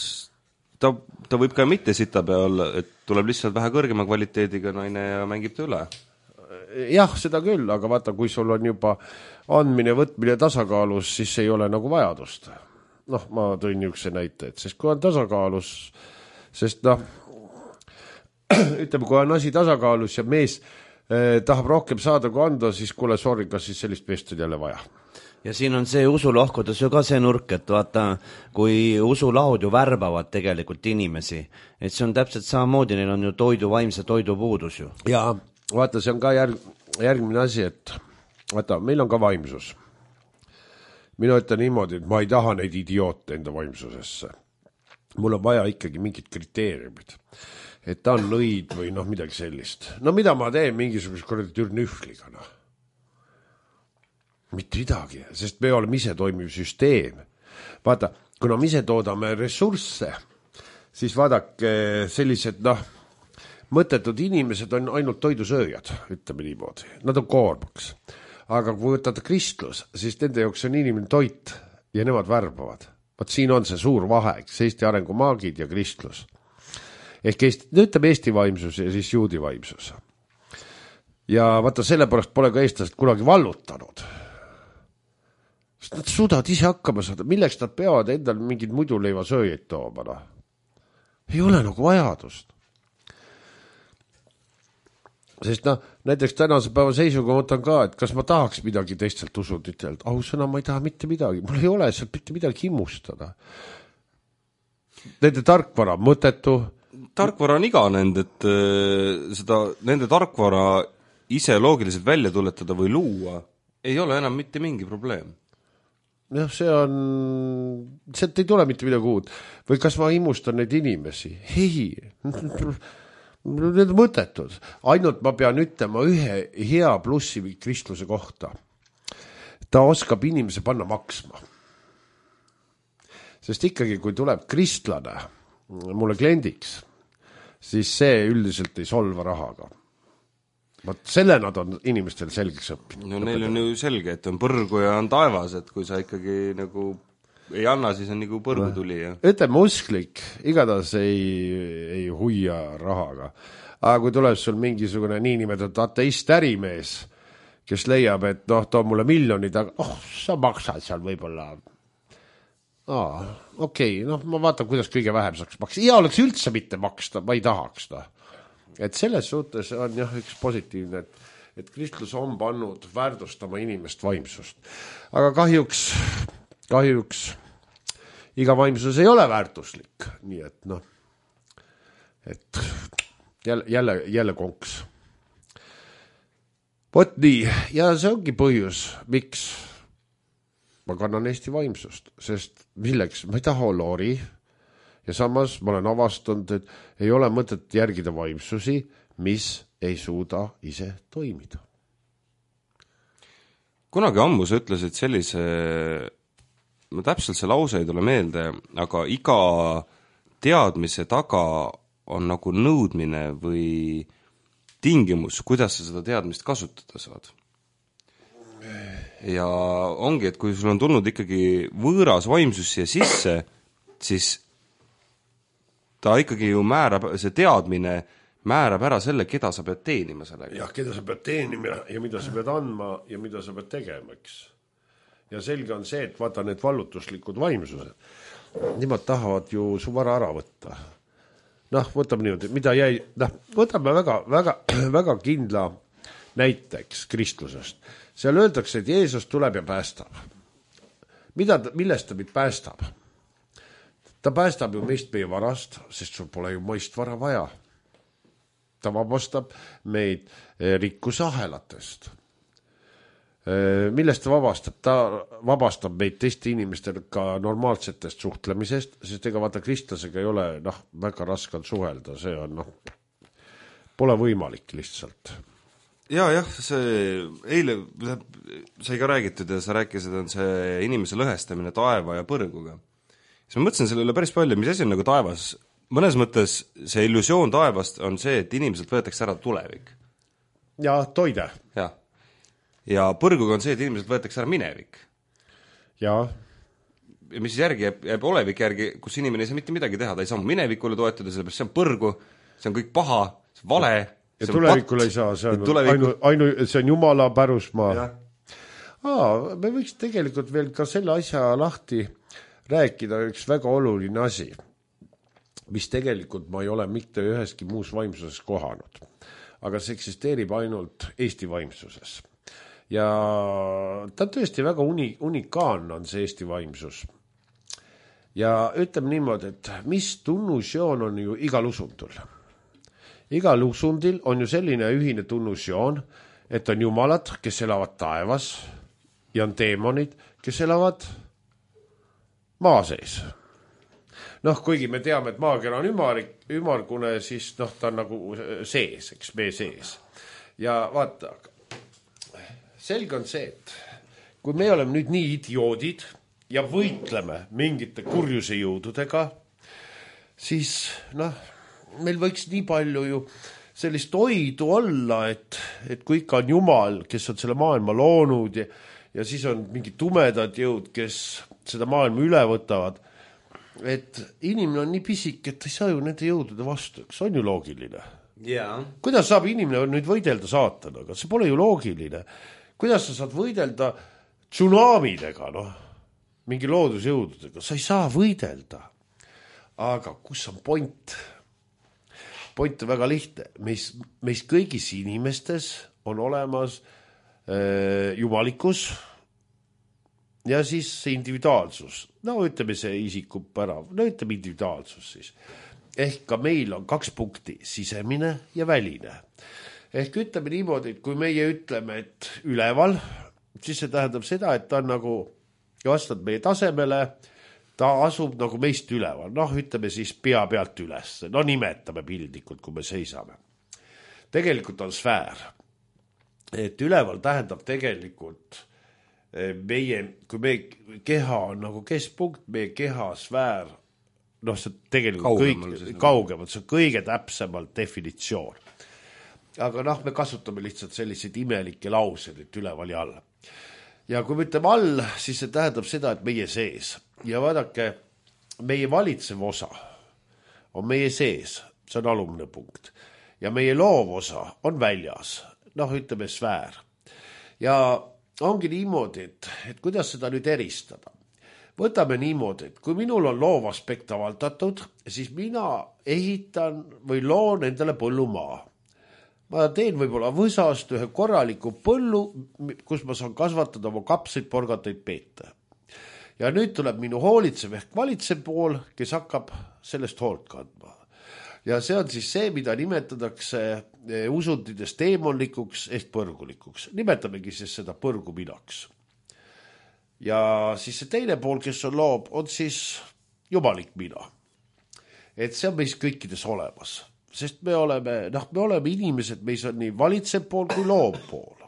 ta, ta võib ka mitte sitapea olla, et tuleb lihtsalt vähe kõrgema kvaliteediga naine ja mängib ta üle? Jah, seda küll, aga vaata, kui sul on juba andmine, võtmine tasakaalus, siis ei ole nagu vajadust. Noh, ma tõin niisuguse näite, et sest kui on tasakaalus, sest noh, ütleme, kui on asi tasakaalus ja mees eh, tahab rohkem saada kui anda, siis kuule, sorry, kas siis sellist meest on jälle vaja. Ja siin on see usulohkudes ju ka see nurk, et vaata, kui usulahud ju värbavad tegelikult inimesi, et see on täpselt samamoodi, neil on ju toidu, vaimse toidu puudus ju. Jaa, vaata, see on ka järg, järgmine asi, et vaata, meil on ka vaimsus. Mina ütlen niimoodi, et ma ei taha neid idioote enda vaimsusesse. Mul on vaja ikkagi mingid kriteeriumid. Et ta on nõid või noh, midagi sellist. No mida ma teen mingisuguse korrati türnühvliga, noh? Mitte midagi, sest me oleme ise toimiv süsteem. Vaata, kuna me ise toodame ressursse, siis vaadake sellised, noh, mõttetud inimesed on ainult toidusööjad, ütleme niimoodi. Nad on koormaks. Aga kui võtad kristlus, siis nende jaoks on inimene toit ja nemad värbavad. Vaat siin on see suur vahe, Eesti arengumaagid ja kristlus. Ehk Eesti, ütleme Eesti vaimsus ja siis juudi vaimsus. Ja vaata, sellepärast pole ka eestlased kunagi vallutanud. Sest nad suudavad ise hakkama saada. Milleks nad peavad endal mingid muidu leiva sööjaid tooma? Ei ole nagu vajadust. Sest noh, näiteks tänase päeva seisuga mõtlen ka, et kas ma tahaks midagi teistelt usunditelt. Ausõna, ma ei taha mitte midagi. Mul ei ole sealt mitte midagi himustada. Nende tarkvara mõtetu. Tarkvara on iganend, et seda, nende tarkvara ise loogiliselt välja tuletada või luua ei ole enam mitte mingi probleem. Jah, see on, sealt ei tule mitte midagi uut. Või kas ma himustan neid inimesi? Ei, need on mõttetud. Ainult ma pean ütlema ühe hea plussi kristluse kohta. Ta oskab inimese panna maksma. Sest ikkagi, kui tuleb kristlane mulle kliendiks, siis see üldiselt ei solva rahaga. Vaat selle nad on inimestel selgeks õppinud. No neil on ju selge, et on põrgu ja on taevas, et kui sa ikkagi nagu ei anna, siis on nagu põrgu tuli. Ja. Ütleme usklik, igatahes ei, ei huia rahaga. Aga kui tuleb sul mingisugune niinimetatud ateist ärimees, kes leiab, et noh, too mulle miljonid, aga oh, sa maksad seal võib-olla. Aa, okei, okay, noh, ma vaatan, kuidas kõige vähem saaks maksta. Ja oleks üldse mitte maksta, ma ei tahaks ta. Et selles suhtes on jah üks positiivne, et, et kristlus on pannud väärtustama inimest vaimsust. Aga kahjuks, kahjuks iga vaimsus ei ole väärtuslik. Nii et noh, et jälle, jälle, jälle konks. Vot nii, ja see ongi põhjus, miks ma kannan Eesti vaimsust, sest milleks, ma ei taha olla ori. Ja samas ma olen avastanud, et ei ole mõtet järgida vaimsusi, mis ei suuda ise toimida. Kunagi ammu sa ütlesid sellise, ma täpselt see lause ei tule meelde, aga iga teadmise taga on nagu nõudmine või tingimus, kuidas sa seda teadmist kasutada saad. Ja ongi, et kui sul on tulnud ikkagi võõras vaimsus siia sisse, siis ta ikkagi ju määrab, see teadmine määrab ära selle, keda sa pead teenima sellega. Jah, keda sa pead teenima ja mida sa pead andma ja mida sa pead tegema, eks. Ja selge on see, et vaata need vallutuslikud vaimsused, nimad tahavad ju su vara ära võtta. Noh, võtame niimoodi, mida jäi, noh, võtame väga, väga, väga kindla näiteks kristlusest. Seal öeldakse, et Jeesus tuleb ja päästab. Mida, millest ta meid päästab? Ta päästab ju meist meie varast, sest sul pole ju mõist vara vaja. Ta vabastab meid rikkuse ahelatest. Millest ta vabastab? Ta vabastab meid teiste inimestel ka normaalsetest suhtlemisest, sest ega vaata kristlasega ei ole noh, väga raske suhelda, see on noh, pole võimalik lihtsalt. Ja, jah, see eile sai ka räägitud ja sa rääkisid, on see inimese lõhestamine taeva ja põrguga. Siis ma mõtlesin selle üle päris palju, mis asi on nagu taevas. Mõnes mõttes see illusioon taevast on see, et inimeselt võetakse ära tulevik. Ja toide. Ja. Ja põrguga on see, et inimeselt võetakse ära minevik. Ja. Ja mis järgi jääb, jääb olevik järgi, kus inimene ei saa mitte midagi teha, ta ei saa minnavikule toetada, sellepärast see on põrgu, see on kõik paha, see on vale. Ja tulevikule ei saa, see on, tuleviku... ainu, ainu, see on jumala pärusmaa. Ja. Aa, me võiks tegelikult veel ka selle asja lahti rääkida üks väga oluline asi, mis tegelikult ma ei ole mitte üheski muus vaimsuses kohanud, aga see eksisteerib ainult Eesti vaimsuses. Ja ta tõesti väga uni, unikaalne on see Eesti vaimsus. Ja ütleme niimoodi, et mis tunnusjoon on ju igal usundul. igal usundil on ju selline ühine tunnusjoon, et on jumalad, kes elavad taevas ja on teemonid, kes elavad maa sees. Noh, kuigi me teame, et maakera on ümarik, ümargune, siis noh, ta on nagu sees, eks me sees. Ja vaata, selge on see, et kui me oleme nüüd nii idioodid ja võitleme mingite kurjuse jõududega, siis noh, meil võiks nii palju ju sellist oidu olla, et, et kui ikka on Jumal, kes on selle maailma loonud ja, ja siis on mingi tumedad jõud, kes seda maailma üle võtavad, et inimene on nii pisik, et ei saa ju nende jõudude vastu, eks on ju loogiline. Yeah. Kuidas saab inimene nüüd võidelda saatanaga? See pole ju loogiline. Kuidas sa saad võidelda tsunamidega, noh, mingi loodusjõududega? Sa ei saa võidelda. Aga kus on point? Point on väga lihtne. Meis, meis kõigis inimestes on olemas äh, jumalikus ja siis see individuaalsus. No ütleme see isikub ära. No ütleme individuaalsus siis. Ehk ka meil on kaks punkti, sisemine ja väline. Ehk ütleme niimoodi, et kui meie ütleme, et üleval, siis see tähendab seda, et ta on nagu vastab meie tasemele, ta asub nagu meist üleval. Noh, ütleme siis pea pealt üles. No nimetame pildikult, kui me seisame. Tegelikult on sfäär. Et üleval tähendab tegelikult meie, kui meie keha on nagu keskpunkt, meie keha sfäär, noh, see tegelikult kaugemal, kõik, kaugemalt, see on kõige täpsemalt definitsioon. Aga noh, me kasutame lihtsalt selliseid imelikke laused, et üleval ja all. Ja kui me ütleme all, siis see tähendab seda, et meie sees. Ja vaadake, meie valitsev osa on meie sees, see on alumne punkt. Ja meie loov osa on väljas, noh, ütleme sfäär. Ja ongi niimoodi, et, et kuidas seda nüüd eristada. Võtame niimoodi, et kui minul on loov aspekt avaldatud, siis mina ehitan või loon endale põllumaa. Ma teen võib-olla võsast ühe korraliku põllu, kus ma saan kasvatada oma kapseid, porgataid, peete. Ja nüüd tuleb minu hoolitsev ehk valitsev pool, kes hakkab sellest hoolt kandma. Ja see on siis see, mida nimetatakse usundides teemonlikuks ehk põrgulikuks. Nimetamegi siis seda põrguminaks. Ja siis see teine pool, kes on loob, on siis jumalik mina. Et see on meis kõikides olemas. Sest me oleme, noh, me oleme inimesed, meis on nii valitsev pool kui loov pool.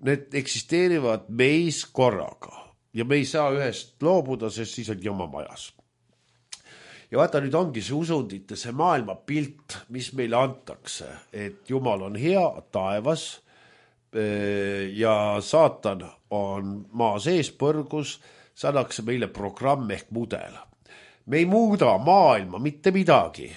Need eksisteerivad meis korraga. Ja me ei saa ühest loobuda, sest siis on jama majas. Ja vaata, nüüd ongi see usundite, see maailma pilt, mis meile antakse, et Jumal on hea taevas ja saatan on maa sees põrgus, saadakse meile programm ehk mudel. Me ei muuda maailma mitte midagi,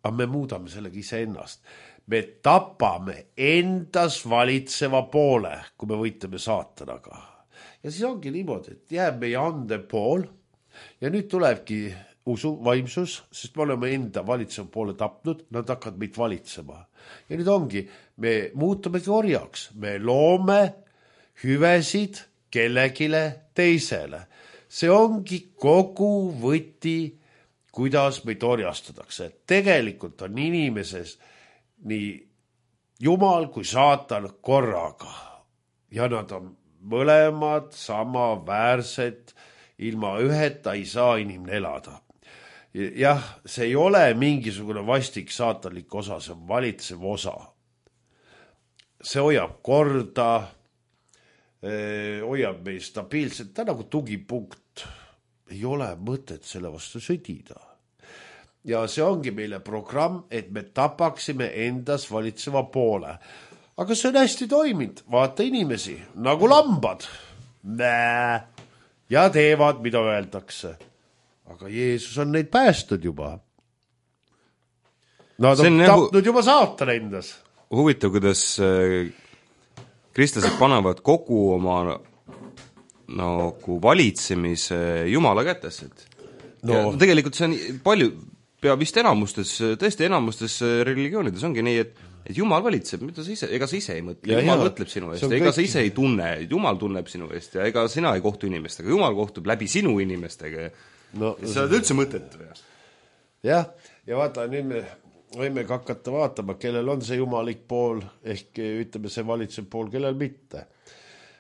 aga me muudame sellega ise ennast. Me tapame endas valitseva poole, kui me võitleme saatanaga. Ja siis ongi niimoodi, et jääb meie ande pool ja nüüd tulebki usu, vaimsus, sest me oleme enda valitseva poole tapnud, nad hakkavad meid valitsema. Ja nüüd ongi, me muutumegi orjaks, me loome hüvesid kellegile teisele. See ongi kogu võti, kuidas meid orjastatakse. Tegelikult on inimeses nii Jumal kui saatan korraga. Ja nad on mõlemad sama väärsed, ilma üheta ei saa inimene elada. Jah, see ei ole mingisugune vastik saatanlik osa, see on valitsev osa. See hoiab korda, hoiab meil stabiilselt, ta nagu tugipunkt. Ei ole mõtet selle vastu sõdida. Ja see ongi meile programm, et me tapaksime endas valitseva poole. Aga see on hästi toiminud, vaata inimesi, nagu lambad. Nää, ja teevad, mida öeldakse. Aga Jeesus on neid päästud juba. Nad on, on tapnud nagu juba saatan endas. Huvitav, kuidas kristlased panevad kogu oma nagu valitsemise Jumala kätesse. No. Tegelikult see on palju, pea vist enamustes, tõesti enamustes religioonides ongi nii, et, et Jumal valitseb, mida sa ise, ega sa ise ei mõtle, ja, Jumal ja, mõtleb sinu eest, ega kõik... sa ise ei tunne, Jumal tunneb sinu eest ja ega sina ei kohtu inimestega, Jumal kohtub läbi sinu inimestega. No, sa oled üldse mõtet või? Jah, ja vaata, nüüd me võime ka hakata vaatama, kellel on see jumalik pool, ehk ütleme see valitsev pool, kellel mitte.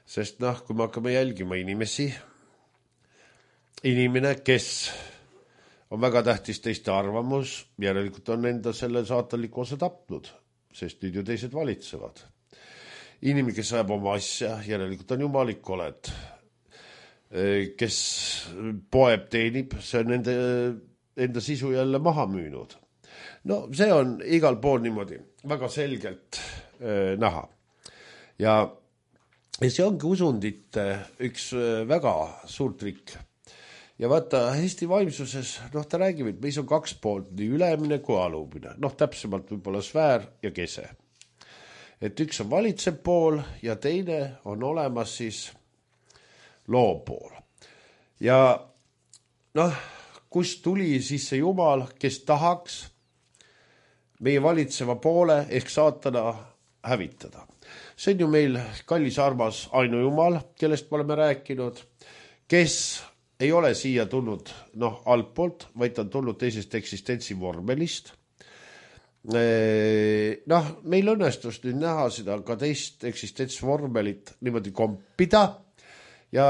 Sest noh, kui me hakkame jälgima inimesi, inimene, kes on väga tähtis teiste arvamus, järelikult on enda selle saatanliku osa tapnud, sest nüüd ju teised valitsevad. Inimene, kes ajab oma asja, järelikult on jumalik oled. Kes poeb teenib, see on enda, enda sisu jälle maha müünud. No see on igal pool niimoodi väga selgelt äh, näha. Ja, ja see ongi usundite üks äh, väga suur trikk. Ja vaata, Eesti vaimsuses, noh ta räägib, et meis on kaks poolt, nii ülemine kui alumine. Noh täpsemalt võib-olla sfäär ja kese. Et üks on valitsev pool ja teine on olemas siis loo pool. Ja noh, kus tuli siis see Jumal, kes tahaks meie valitseva poole ehk saatana hävitada. See on ju meil kallis armas ainujumal, kellest me oleme rääkinud, kes ei ole siia tulnud noh, altpoolt, vaid ta on tulnud teisest eksistentsi vormelist. Noh, meil õnnestus nüüd näha seda ka teist eksistentsvormelit niimoodi kompida ja,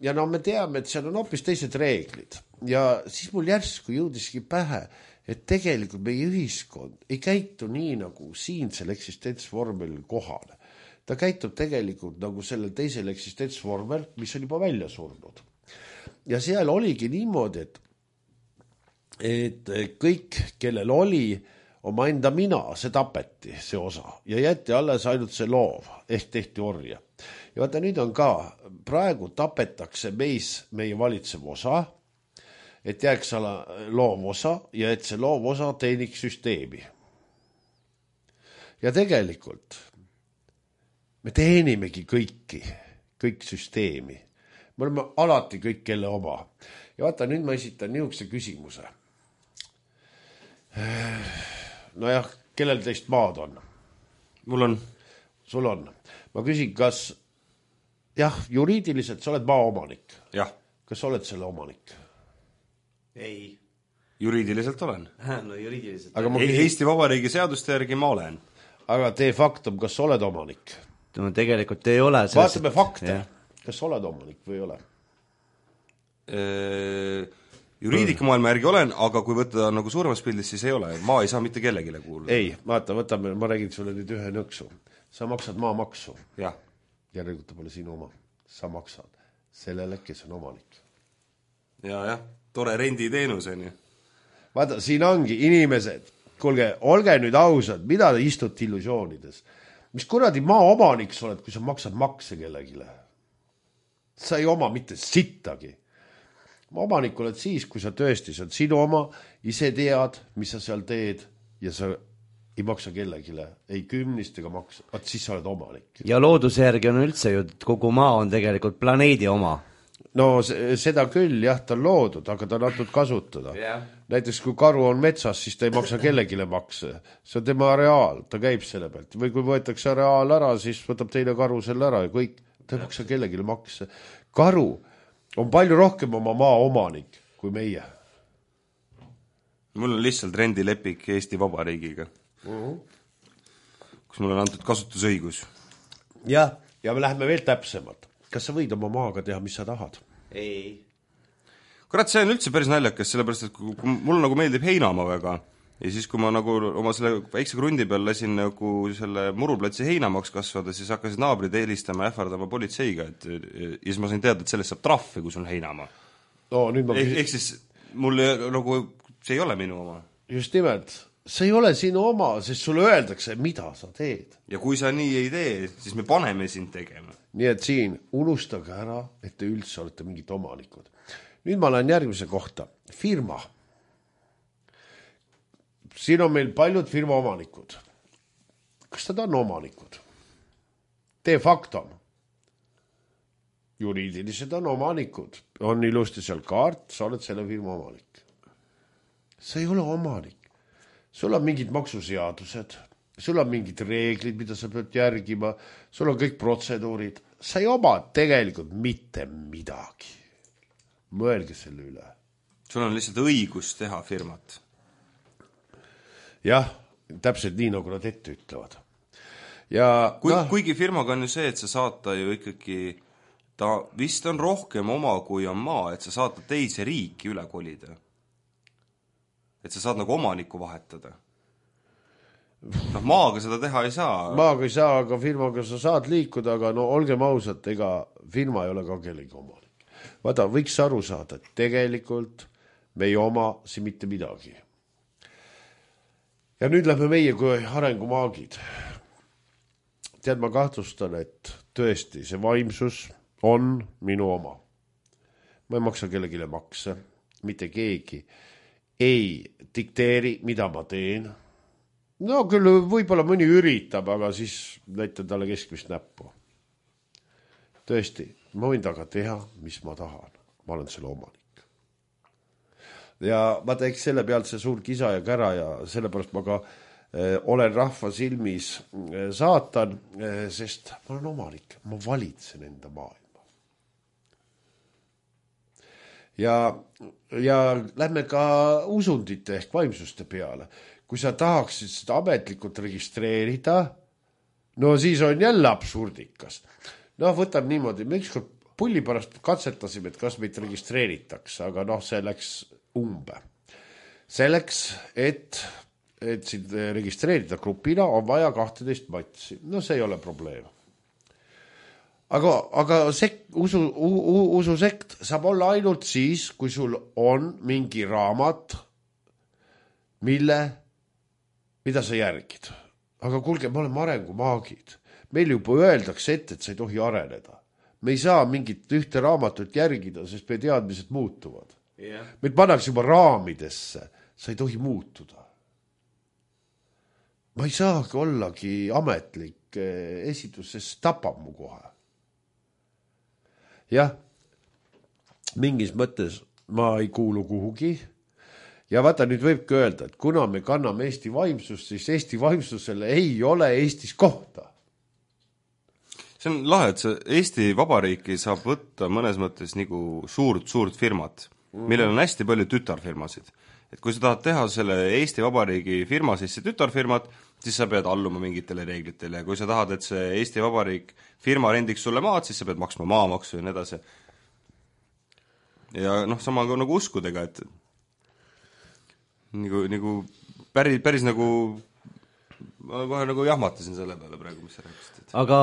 ja no me teame, et seal on hoopis teised reeglid. Ja siis mul järsku jõudiski pähe, et tegelikult meie ühiskond ei käitu nii nagu siinsel eksistentsvormelil kohal. Ta käitub tegelikult nagu sellel teisel eksistentsvormel, mis on juba välja surnud. Ja seal oligi niimoodi, et, et kõik, kellel oli oma enda mina, see tapeti, see osa. Ja jäeti alles ainult see loov, ehk tehti orja. Ja vaata, nüüd on ka, praegu tapetakse meis meie valitsev osa, et jääks ala loov osa ja et see loov osa teeniks süsteemi. Ja tegelikult me teenimegi kõiki, kõik süsteemi. Me oleme alati kõik kelle oma. Ja vaata, nüüd ma esitan niisuguse küsimuse. Nojah, kellel teist maad on? Mul on. Sul on. Ma küsin, kas jah, juriidiliselt sa oled maaomanik? Jah. Kas sa oled selle omanik? Ei. Juriidiliselt olen. No juriidiliselt. Aga ma... Eesti Vabariigi seaduste järgi ma olen. Aga tee faktum, kas sa oled omanik? No tegelikult ei ole. Vaatame fakte. Ja. Kas sa oled omanik või ei ole? Eee, juriidikamaailma järgi olen, aga kui võtta nagu suuremas pildis, siis ei ole. Maa ei saa mitte kellegile kuuluda. Ei, vaata, võtame, ma räägin sulle nüüd ühe nõksu. Sa maksad maamaksu. Jah. Järelikult pole sinu oma. Sa maksad sellele, kes on omanik. Ja, jah. Tore renditeenus on ju. Vaata, siin ongi inimesed, kuulge, olge nüüd ausad, mida te istute illusioonides? Mis kuradi maa omanik sa oled, kui sa maksad makse kellegile? Sa ei oma mitte sittagi. Maa omanik oled siis, kui sa tõesti, see on sinu oma, ise tead, mis sa seal teed ja sa ei maksa kellegile, ei kümnist ega maksa, vaat siis sa oled omanik. Ja looduse järgi on üldse ju, et kogu maa on tegelikult planeedi oma. No seda küll, jah, ta on loodud, aga ta on antud kasutada. Yeah. Näiteks kui karu on metsas, siis ta ei maksa kellegile makse. See on tema areaal, ta käib selle pealt. Või kui võetakse areaal ära, siis võtab teine karu selle ära ja kõik, ta ei maksa kellegile makse. Karu on palju rohkem oma maa omanik kui meie. Mul on lihtsalt rendilepik Eesti Vabariigiga, uh-huh. kus mul on antud kasutusõigus. Jah, ja me läheme veel täpsemalt. Kas sa võid oma maaga teha, mis sa tahad? Ei. Kurat, see on üldse päris naljakas, sellepärast, et kui, kui mul nagu meeldib heinamaa väga, ja siis kui ma nagu oma selle väikse krundi peal lasin nagu selle muruplatsi heinamaks kasvada, siis hakkasid naabrid eelistama ja ähvardama politseiga, et ja siis ma sain teada, et sellest saab trahvi, kui sul on heinamaa. No, nüüd ma... Ehk, ehk siis mul nagu, see ei ole minu oma. Just nimelt, see ei ole sinu oma, sest sulle öeldakse, mida sa teed. Ja kui sa nii ei tee, siis me paneme sind tegema. Nii et siin unustage ära, et te üldse olete mingid omanikud. Nüüd ma lähen järgmise kohta. Firma. Siin on meil paljud firma omanikud. Kas nad on omanikud? De facto. Juriidilised on omanikud. On ilusti seal kaart, sa oled selle firma omanik. Sa ei ole omanik. Sul on mingid maksuseadused. Sul on mingid reeglid, mida sa pead järgima, sul on kõik protseduurid. Sa ei oma tegelikult mitte midagi. Mõelge selle üle. Sul on lihtsalt õigus teha firmat. jah, täpselt nii, nagu nad ette ütlevad. Ja Kui, no, kuigi firmaga on ju see, et sa saata ju ikkagi, ta vist on rohkem oma, kui on maa, et sa saata teise riiki üle kolida. Et sa saad nagu omanikku vahetada. noh, maaga seda teha ei saa. Maaga ei saa, aga firmaga sa saad liikuda, aga no olgem ausad, ega firma ei ole ka kellegi omanik. Vaata, võiks aru saada, et tegelikult me ei oma siin mitte midagi. Ja nüüd lähme meie kui arengumaagid. Tead, ma kahtlustan, et tõesti see vaimsus on minu oma. Ma ei maksa kellegile makse, mitte keegi ei dikteeri, mida ma teen. No küll võib-olla mõni üritab, aga siis näitan talle keskmist näppu. Tõesti, ma võin taga teha, mis ma tahan. Ma olen selle omanik. Ja ma teeks selle pealt see suur kisa ja kära ja sellepärast ma ka eh, olen rahva silmis eh, saatan, eh, sest ma olen omanik. Ma valitsen enda maailma. Ja, ja lähme ka usundite ehk vaimsuste peale. Kui sa tahaksid seda ametlikult registreerida, no siis on jälle absurdikas. No võtab niimoodi, me ükskord pulli pärast katsetasime, et kas meid registreeritakse, aga noh, see läks umbe. Selleks, et, et sind registreerida grupina, on vaja kahteteist matsi. No see ei ole probleem. Aga, aga sek, usu, u, ususekt saab olla ainult siis, kui sul on mingi raamat, mille mida sa järgid. Aga kuulge, me oleme arengumaagid. Meil juba öeldakse ette, et sa ei tohi areneda. Me ei saa mingit ühte raamatut järgida, sest me teadmised muutuvad. Yeah. Meid pannakse juba raamidesse. Sa ei tohi muutuda. Ma ei saagi ollagi ametlik esitus, sest tapab mu kohe. Jah, mingis mõttes ma ei kuulu kuhugi. Ja vaata, nüüd võibki öelda, et kuna me kanname Eesti vaimsust, siis Eesti vaimsusele ei ole Eestis kohta. See on lahe, et see Eesti Vabariiki saab võtta mõnes mõttes nagu suurt, suurt firmat, millel on hästi palju tütarfirmasid. Et kui sa tahad teha selle Eesti Vabariigi firma sisse tütarfirmat, siis sa pead alluma mingitele reeglitele. Ja kui sa tahad, et see Eesti Vabariik firma rendiks sulle maad, siis sa pead maksma maamaksu ja nii edasi. Ja noh, sama nagu uskudega, et Nagu, nagu päris, päris nagu ma kohe nagu jahmatasin selle peale praegu, mis sa rääkisid. Aga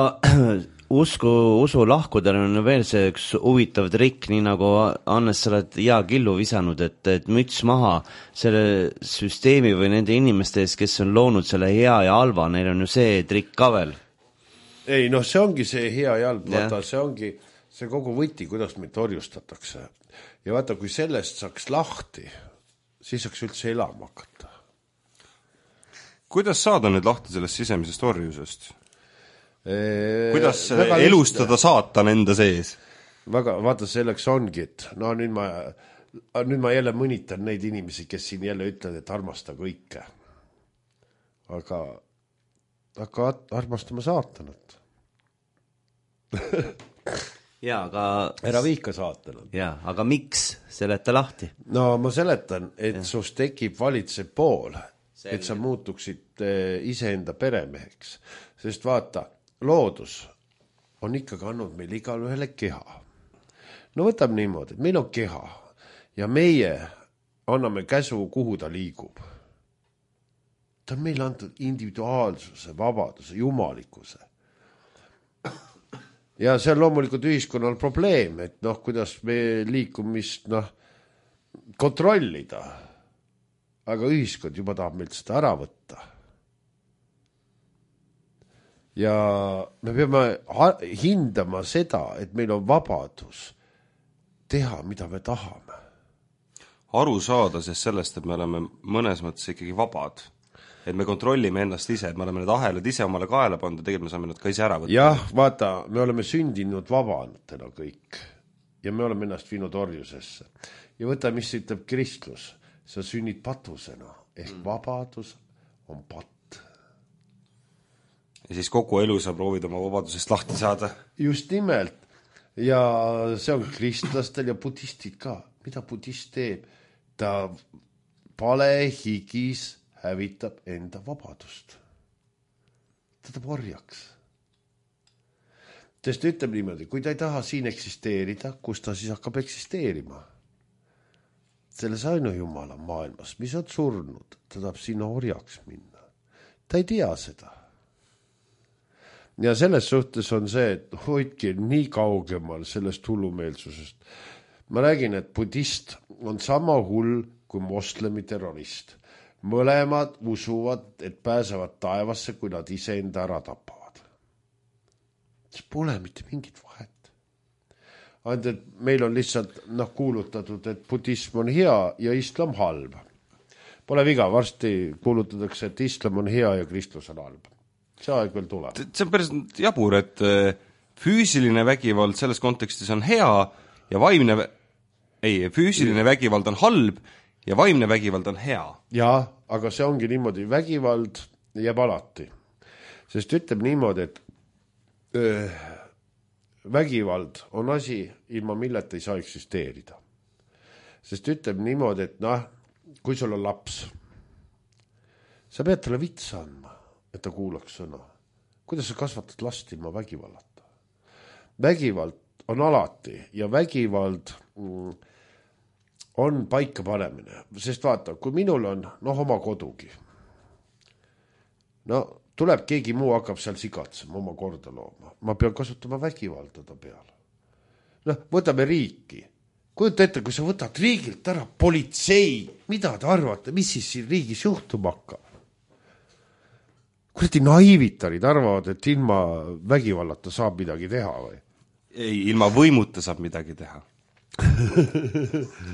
usku, usu lahkudel on veel see üks huvitav trikk, nii nagu Annes, sa oled hea killu visanud, et, et müts maha selle süsteemi või nende inimeste ees, kes on loonud selle hea ja halva, neil on ju see trikk ka veel. Ei, noh, see ongi see hea ja halb, vaata, see ongi see kogu võti, kuidas meid torjustatakse. Ja vaata, kui sellest saaks lahti, siis saaks üldse elama hakata. Kuidas saada nüüd lahti sellest sisemisest orjusest? Eee, Kuidas elustada lihtne. Saatan enda sees? Väga, vaata, selleks ongi, et no nüüd ma, nüüd ma jälle mõnitan neid inimesi, kes siin jälle ütlevad, et armasta kõike. Aga hakka armastama saatanat. Jaa, aga ära viika saatanat. Jaa, aga miks seleta lahti? No ma seletan, et ja. Sus tekib valitsev pool, Selge. Et sa muutuksid iseenda peremeheks. Sest vaata, loodus on ikkagi andnud meil igal ühele keha. No võtab niimoodi, et meil on keha ja meie anname käsu, kuhu ta liigub. Ta on meile antud individuaalsuse, vabaduse, jumalikkuse. Ja see on loomulikult ühiskonnal probleem, et noh, kuidas me liikumist noh, kontrollida. Aga ühiskond juba tahab meilt seda ära võtta. Ja me peame hindama seda, et meil on vabadus teha, mida me tahame. Aru saada sest sellest, et me oleme mõnes mõttes ikkagi vabad. Et me kontrollime ennast ise, et me oleme need ahelad ise omale kaela pannud, tegelikult me saame nad ka ise ära võtta. Jah, vaata, me oleme sündinud vabanatena kõik ja me oleme ennast viinud orjusesse. Ja võta, mis ütleb kristlus, sa sünnid patusena, ehk mm. vabadus on patt. Ja siis kogu elu sa proovid oma vabadusest lahti saada. Just nimelt. Ja see on kristlastel ja budistid ka. Mida budist teeb? Ta pale higis hävitab enda vabadust. Ta tõb orjaks. Sest ütleb niimoodi, kui ta ei taha siin eksisteerida, kus ta siis hakkab eksisteerima? Selles ainu Jumala maailmas, mis on surnud, ta tahab sinna orjaks minna. Ta ei tea seda. Ja selles suhtes on see, et hoidki nii kaugemal sellest hullumeelsusest. Ma räägin, et budist on sama hull kui moslemi terrorist. Mõlemad usuvad, et pääsevad taevasse, kui nad ise enda ära tapavad. See pole mitte mingit vahet. Ainult, et meil on lihtsalt noh, kuulutatud, et budism on hea ja islam halb. Pole viga, varsti kuulutatakse, et islam on hea ja kristlus on halb. See aeg veel tuleb. See on päris jabur, et füüsiline vägivald selles kontekstis on hea ja vaimne, ei, füüsiline vägivald on halb ja vaimne vägivald on hea. Jaa, aga see ongi niimoodi, vägivald jääb alati. Sest ütleb niimoodi, et öö, vägivald on asi, ilma milleta ei saa eksisteerida. Sest ütleb niimoodi, et noh, kui sul on laps, sa pead talle vitsa andma, et ta kuulaks sõna. Kuidas sa kasvatad last ilma vägivallata? Vägivald on alati ja vägivald mm, on paika panemine. Sest vaata, kui minul on noh, oma kodugi, no tuleb keegi muu hakkab seal sigatsema, oma korda looma. Ma pean kasutama vägivalda ta peale. Noh, võtame riiki. Kujuta ette, kui sa võtad riigilt ära politsei, mida te arvate, mis siis siin riigis juhtuma hakkab? Kuradi naivitarid arvavad, et ilma vägivallata saab midagi teha või? Ei, ilma võimuta saab midagi teha.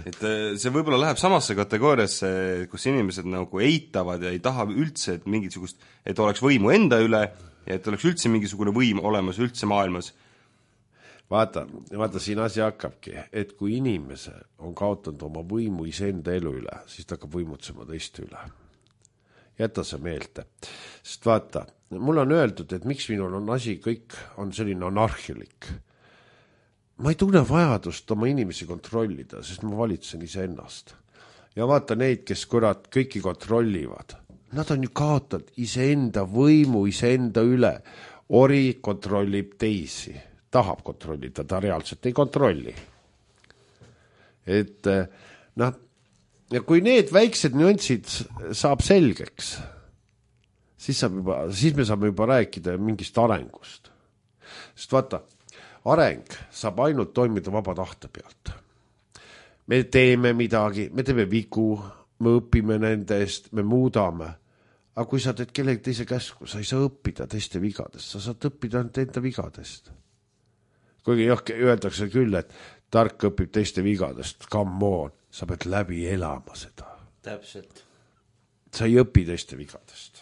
Et see võib-olla läheb samasse kategooriasse, kus inimesed nagu eitavad ja ei taha üldse, et mingisugust, et oleks võimu enda üle ja et oleks üldse mingisugune võim olemas üldse maailmas. Vaata, vaata siin asi hakkabki, et kui inimese on kaotanud oma võimu iseenda elu üle, siis ta hakkab võimutsema teiste üle. Jäta see meelde. Sest vaata, mul on öeldud, et miks minul on asi, kõik on selline anarhilik. Ma ei tunne vajadust oma inimesi kontrollida, sest ma valitsen ise ennast. Ja vaata neid, kes kurat kõiki kontrollivad. Nad on ju kaotanud iseenda võimu, iseenda üle. Ori kontrollib teisi. Tahab kontrollida, ta reaalselt ei kontrolli. Et noh, ja kui need väiksed nüansid saab selgeks, siis, saab juba, siis me saame juba rääkida mingist arengust. Sest vaata, areng saab ainult toimida vaba tahte pealt. Me teeme midagi, me teeme vigu, me õpime nende eest, me muudame. Aga kui sa teed kellegi teise käsku, sa ei saa õppida teiste vigadest, sa saad õppida ainult enda vigadest. Kuigi jah, öeldakse küll, et tark õpib teiste vigadest, come on, sa pead läbi elama seda. Täpselt. Sa ei õpi teiste vigadest.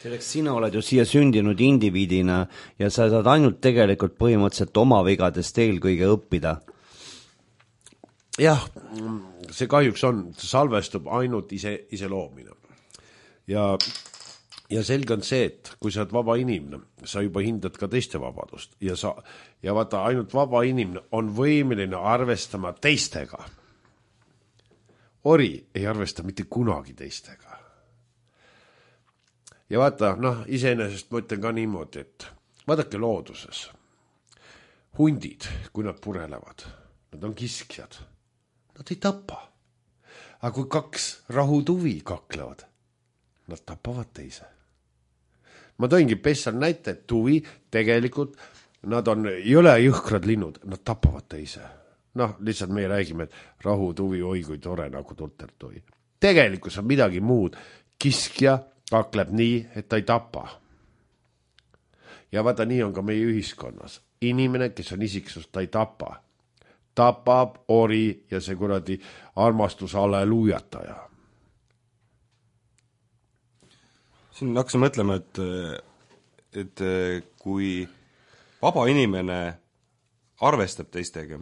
Selleks sina oled ju siia sündinud indiviidina ja sa saad ainult tegelikult põhimõtteliselt oma vigadest eelkõige õppida. Jah, see kahjuks on, salvestub ainult ise, ise loomine. Ja, ja selge on see, et kui sa oled vaba inimene, sa juba hindad ka teiste vabadust. Ja, sa, ja vaata, ainult vaba inimene on võimeline arvestama teistega. Ori ei arvesta mitte kunagi teistega. Ja vaata, noh, iseenesest ma ütlen ka niimoodi, et vaadake looduses. Hundid, kui nad purelevad, nad on kiskjad. Nad ei tapa. Aga kui kaks rahutuvi kaklevad, nad tapavad teise. Ma toingi pessal näite, et tuvi tegelikult, nad on jõle jõhkrad linnud, nad tapavad teise. Noh, lihtsalt me räägime, et rahutuvi, oi kui tore nagu tultertui. Tegelikult on midagi muud. Kiskja kakleb nii, et ta ei tapa. Ja vaata, nii on ka meie ühiskonnas. Inimene, kes on isiksus, ta ei tapa. Tapab, ori ja see kuradi armastus alleluujataja. Siin hakkasin mõtlema, et, et kui vaba inimene arvestab teistega,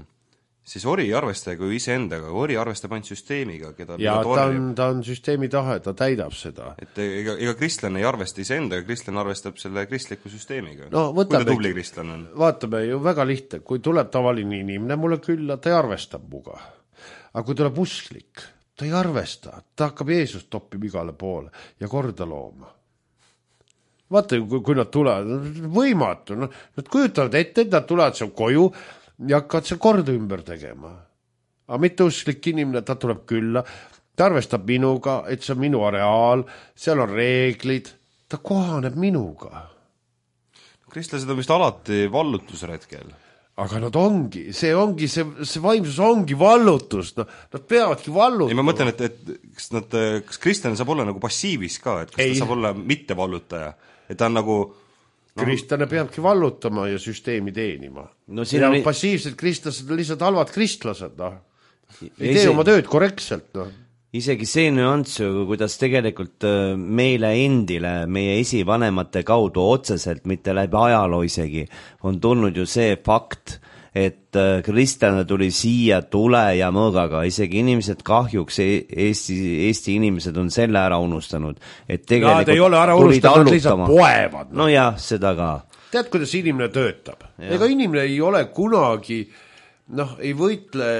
siis ori ei arvesta ju iseendaga, ori arvestab ainult süsteemiga, keda ja ta on, ta on süsteemi tahe, ta täidab seda. Et ega, ega kristlane ei arvesta iseendaga, kristlane arvestab selle kristliku süsteemiga. No, võtame, kui ta tubli kristlane on. Vaatame ju väga lihtne, kui tuleb tavaline inimene, mulle külla, ta ei arvestab muga. Aga kui tuleb usklik, ta ei arvesta, ta hakkab Jeesust toppima igale poole ja korda looma. Vaata, kui, kui nad tulevad, võimatu, no, nad kujutavad ette, et nad tulevad seal koju ja hakkavad seal korda ümber tegema. Aga mitte usklik inimene, ta tuleb külla, ta arvestab minuga, et see on minu areaal, seal on reeglid, ta kohaneb minuga. Kristlased on vist alati vallutusretkel. Aga nad ongi, see ongi, see, see vaimsus ongi vallutus, no, nad peavadki vallutama. Ei, ma mõtlen, et, et kas, nad, kas kristlane saab olla nagu passiivis ka, et kas ei. Ta saab olla mitte vallutaja, et ta on nagu no... Kristlane peabki vallutama ja süsteemi teenima. No, ja on... passiivsed kristlased on lihtsalt halvad kristlased, noh. Ei tee oma tööd korrektselt, noh. Isegi see nüanss, kuidas tegelikult meile endile, meie esivanemate kaudu otseselt, mitte läbi ajaloo isegi, on tulnud ju see fakt, et kristlane tuli siia tule ja mõõgaga, isegi inimesed kahjuks, Eesti, Eesti inimesed on selle ära unustanud, et tegelikult Nad ei ole ära unustanud, lihtsalt poevad. No jah, seda ka. Tead, kuidas inimene töötab? Ja. Ega inimene ei ole kunagi, noh, ei võitle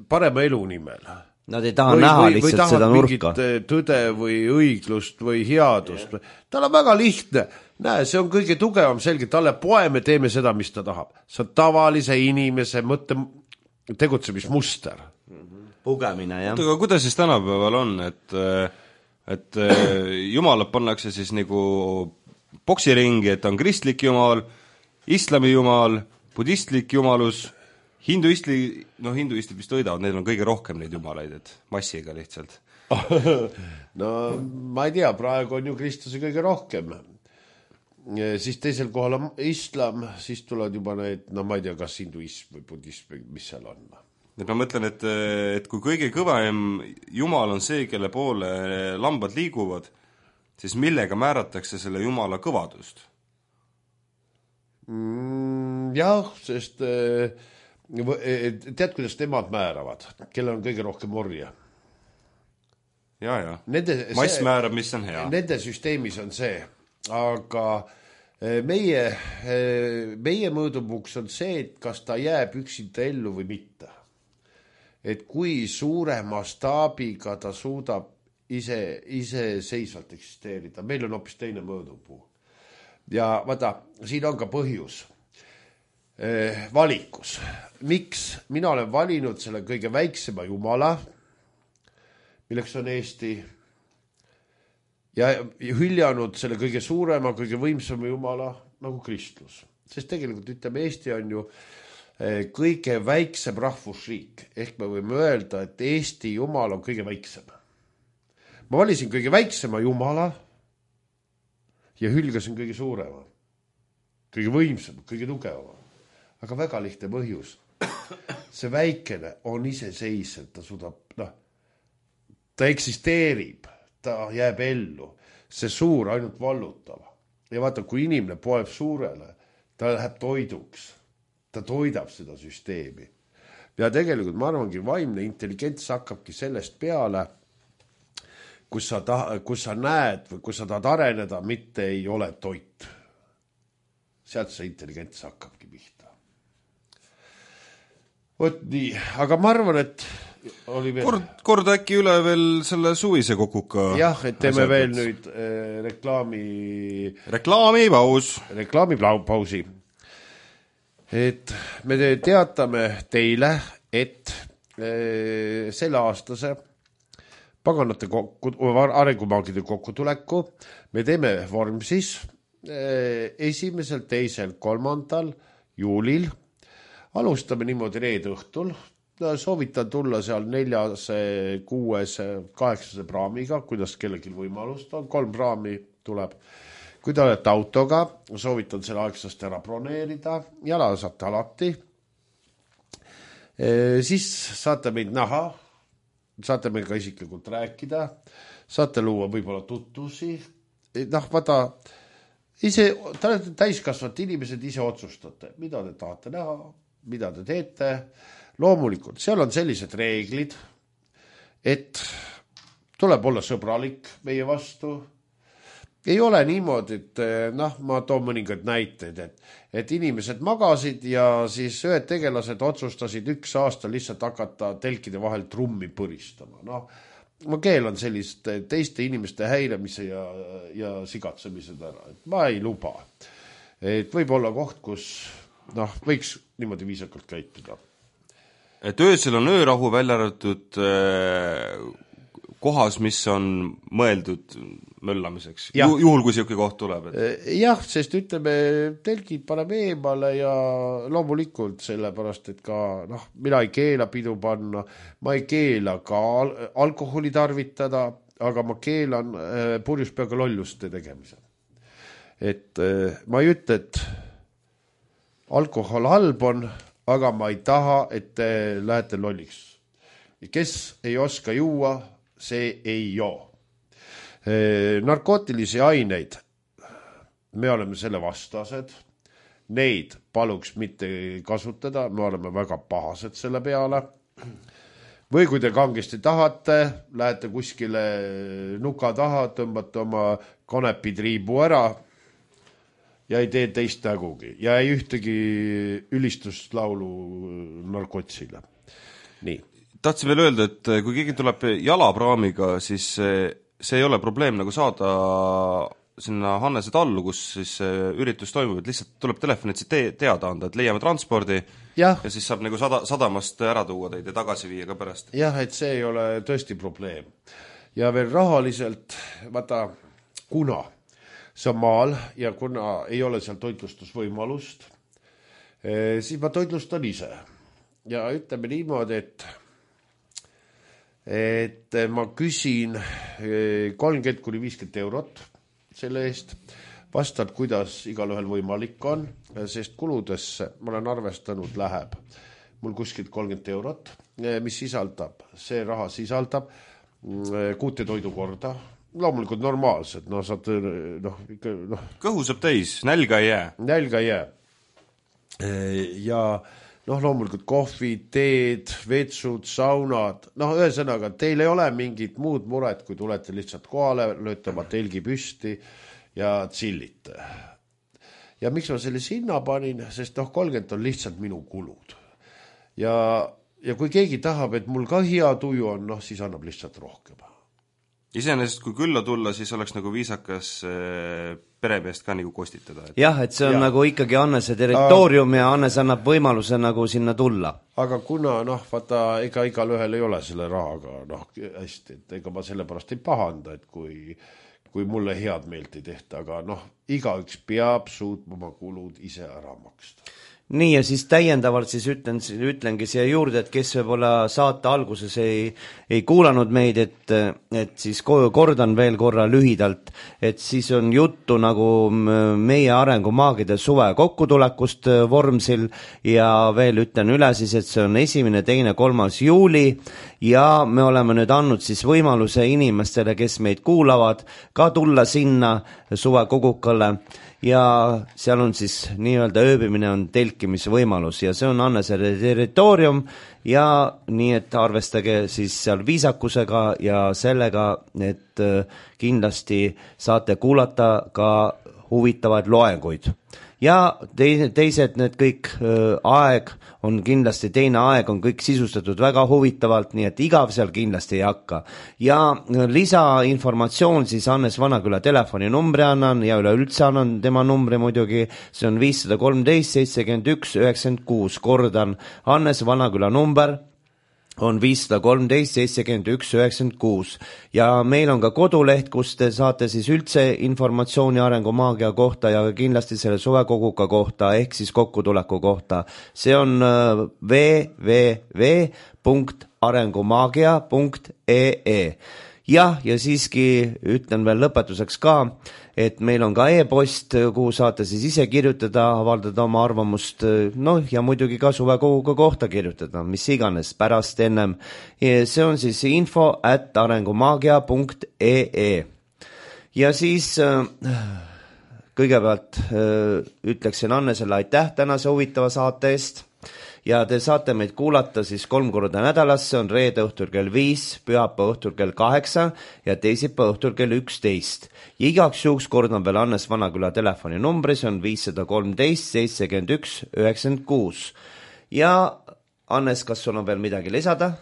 parema elu nimel. Nad ei taha või, näha või, lihtsalt või seda nurka. Tõde või õiglust või headust. Yeah. Tal on väga lihtne. Näe, see on kõige tugevam selge. Talle poe me teeme seda, mis ta tahab. See on tavalise inimese mõtte tegutsemismuster. Pugemine, jah. Aga kuidas siis tänapäeval on, et, et jumalad pannakse siis nagu boksiringi, et on kristlik jumal, islami jumal, budistlik jumalus, hinduistli, no hinduistid vist võidavad, neil on kõige rohkem neid jumalaid, et massiga lihtsalt. No ma ei tea, praegu on ju kristlasi kõige rohkem. Siis teisel kohal on islam, siis tulevad juba need, no ma ei tea, kas hinduism või budism, mis seal on. Et ma mõtlen, et, et kui kõige kõvem jumal on see, kelle poole lambad liiguvad, siis millega määratakse selle jumala kõvadust? Mm, jah, sest tead, kuidas nemad määravad, kellel on kõige rohkem orja? Ja, ja. Nende, mass see, määrab, mis on hea. Nende süsteemis on see, aga meie, meie mõõdupuks on see, et kas ta jääb üksinda ellu või mitte. Et kui suure mastaabiga ta suudab ise, ise seisvalt eksisteerida. Meil on hoopis teine mõõdupuu. Ja vaata, siin on ka põhjus. Valikus. Miks? Mina olen valinud selle kõige väiksema jumala, milleks on Eesti, ja hüljanud selle kõige suurema, kõige võimsama jumala nagu kristlus. Sest tegelikult ütleme, Eesti on ju kõige väiksem rahvusriik. Ehk me võime öelda, et Eesti jumal on kõige väiksem. Ma valisin kõige väiksema jumala ja hülgasin kõige suurema, kõige võimsam, kõige tugevama. Aga väga lihtne põhjus. See väikene on iseseisev, ta suudab, noh, ta eksisteerib, ta jääb ellu. See suur ainult vallutab. Ja vaata, kui inimene poeb suurele, ta läheb toiduks. Ta toidab seda süsteemi. Ja tegelikult ma arvangi, vaimne intelligents hakkabki sellest peale, kus sa, ta, kus sa näed või kus sa tahad areneda, mitte ei ole toit. Sealt see intelligents hakkabki pihta. Võt nii, aga ma arvan, et oli veel... Kord, kord äkki üle veel selle suvise kokuka. Jah, et teeme asjad, veel nüüd äh, reklaami... Reklaamipaus. Reklaamipausi. Et me teatame teile, et äh, selle aastase paganate kokku, arengumaagide kokkutuleku me teeme Vormsis äh, esimesel, teisel, kolmandal juulil. Alustame niimoodi reede õhtul. Soovitan tulla seal neljase, kuuese, kaheksase praamiga, kuidas kellelgi võimalust on. Kolm praami tuleb. Kui te olete autoga, soovitan selle aegsast ära broneerida. Jala saate alati. E, siis saate meid näha. Saate meil ka isiklikult rääkida. Saate luua võib-olla tutvusi. E, noh, vaata, ise, te olete täiskasvad inimesed, ise otsustate, mida te tahate näha, mida te teete. Loomulikult, seal on sellised reeglid, et tuleb olla sõbralik meie vastu. Ei ole niimoodi, et noh, ma toon mõningad näiteid, et, et inimesed magasid ja siis ühed tegelased otsustasid üks aasta lihtsalt hakata telkide vahel trummi põristama. Noh, ma keelan sellist teiste inimeste häiremise ja, ja sigatsemised ära, et ma ei luba. Et võib olla koht, kus noh, võiks niimoodi viisakalt käituda. Et öösel on öörahu välja arvatud äh, kohas, mis on mõeldud möllamiseks, Ju, juhul kui siuke koht tuleb. Et... jah, sest ütleme, telgid paneme eemale ja loomulikult sellepärast, et ka noh, mina ei keela pidu panna, ma ei keela ka al alkoholi tarvitada, aga ma keelan äh, purjuspeaga lolluste tegemise. Et äh, ma ei ütle, et alkohol halb on, aga ma ei taha, et te lähete lolliks. Kes ei oska juua, see ei joo. Narkootilisi aineid, me oleme selle vastased, neid paluks mitte kasutada, me oleme väga pahased selle peale. Või kui te kangesti tahate, lähete kuskile nuka taha, tõmbate oma kanepitriibu ära ja ei tee teist nägugi ja ei ühtegi ülistust laulu narkotsile. Nii. Tahtsin veel öelda, et kui keegi tuleb jalapraamiga, siis see ei ole probleem nagu saada sinna Hannese tallu, kus siis üritus toimub, et lihtsalt tuleb telefonitsi te teada anda, et leiame transpordi ja, ja siis saab nagu sada, sadamast ära tuua teid ja tagasi viia ka pärast. jah, et see ei ole tõesti probleem. Ja veel rahaliselt, vaata, kuna see on maal ja kuna ei ole seal toitlustusvõimalust, siis ma toitlustan ise. Ja ütleme niimoodi, et et ma küsin kolmkümmend kuni viiskümmend eurot selle eest, vastad, kuidas igal ühel võimalik on, sest kuludesse, ma olen arvestanud, läheb mul kuskilt kolmkümmend eurot, mis sisaldab, see raha sisaldab kuute toidukorda, loomulikult normaalsed, no saad, noh, ikka, noh. Kõhu saab täis, nälga ei jää. Nälga ei jää. Ja noh, loomulikult kohvi, teed, vetsud, saunad, noh, ühesõnaga, teil ei ole mingit muud muret, kui tulete lihtsalt kohale, lööte oma telgi püsti ja tsillite. Ja miks ma selle sinna panin, sest noh, kolmkümmend on lihtsalt minu kulud. Ja, ja kui keegi tahab, et mul ka hea tuju on, noh, siis annab lihtsalt rohkem. Iseenesest, kui külla tulla, siis oleks nagu viisakas peremeest ka nagu kostitada. Et... jah, et see on ja. Nagu ikkagi Annese territoorium ja Annes annab võimaluse nagu sinna tulla. Aga kuna, noh, vaata, ega igal ühel ei ole selle rahaga, noh, hästi, et ega ma sellepärast ei pahanda, et kui, kui mulle head meelt ei tehta, aga noh, igaüks peab suutma oma kulud ise ära maksta. Nii ja siis täiendavalt siis ütlen, ütlengi siia juurde, et kes võib-olla saate alguses ei, ei kuulanud meid, et, et siis kordan veel korra lühidalt, et siis on juttu nagu meie arengumaagide suve kokkutulekust Vormsil ja veel ütlen üle siis, et see on esimene, teine, kolmas juuli ja me oleme nüüd andnud siis võimaluse inimestele, kes meid kuulavad, ka tulla sinna suve kogukale ja seal on siis nii-öelda ööbimine on telkimise võimalus ja see on Annese territoorium ja nii, et arvestage siis seal viisakusega ja sellega, et kindlasti saate kuulata ka huvitavaid loenguid. Ja teised need kõik aeg on kindlasti, teine aeg on kõik sisustatud väga huvitavalt, nii et igav seal kindlasti ei hakka. Ja lisainformatsioon siis Hannes Vanaküla telefoninumbri annan ja üleüldse annan tema numbri muidugi, see on viis kolmteist seitsekümmend üks üheksakümmend kuus, kordan, Hannes Vanaküla number on viis kolmteist seitsekümmend üks üheksakümmend kuus ja meil on ka koduleht, kus te saate siis üldse informatsiooni arengumaagia kohta ja kindlasti selle suvekoguka kohta ehk siis kokkutuleku kohta. See on w w w punkt arengumaagia punkt e e. Jah, ja siiski ütlen veel lõpetuseks ka, et meil on ka e-post, kuhu saate siis ise kirjutada, avaldada oma arvamust, noh ja muidugi ka suvekoguga kohta kirjutada, mis iganes pärast ennem. See on siis info at arengumaagia punkt e e. Ja siis kõigepealt ütleksin Annesele aitäh tänase huvitava saate eest. Ja te saate meid kuulata siis kolm korda nädalas, see on reede õhtul kell viis, pühapäeva õhtul kell kaheksa ja teisipäeva õhtul kell üksteist. Ja igaks juhuks kordan veel Hannes Vanaküla telefoninumbri, see on viis kolmteist seitsekümmend üks üheksakümmend kuus. Ja Hannes, kas sul on veel midagi lisada?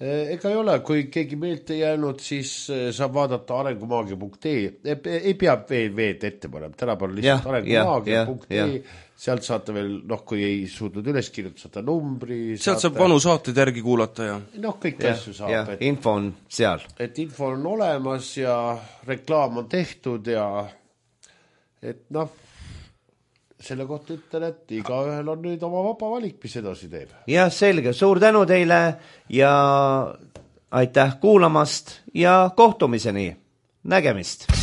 Ega ei ole, kui keegi meelt ei jäänud, siis saab vaadata arengumaagia punkt ee. Ei pea veed ette panema, tänapäeval lihtsalt arengumaagia punkt ee. Sealt saate veel, noh, kui ei suutnud üles kirjutada, saate numbri. Sealt saab vanu saateid järgi kuulata ja... Noh, kõik ja, asju saab. Et, info on seal. Et info on olemas ja reklaam on tehtud ja et noh, selle kohta ütlen, et igaühel on nüüd oma vaba valik, mis edasi teeb. Ja selge, suur tänu teile ja aitäh kuulamast ja kohtumiseni. Nägemist!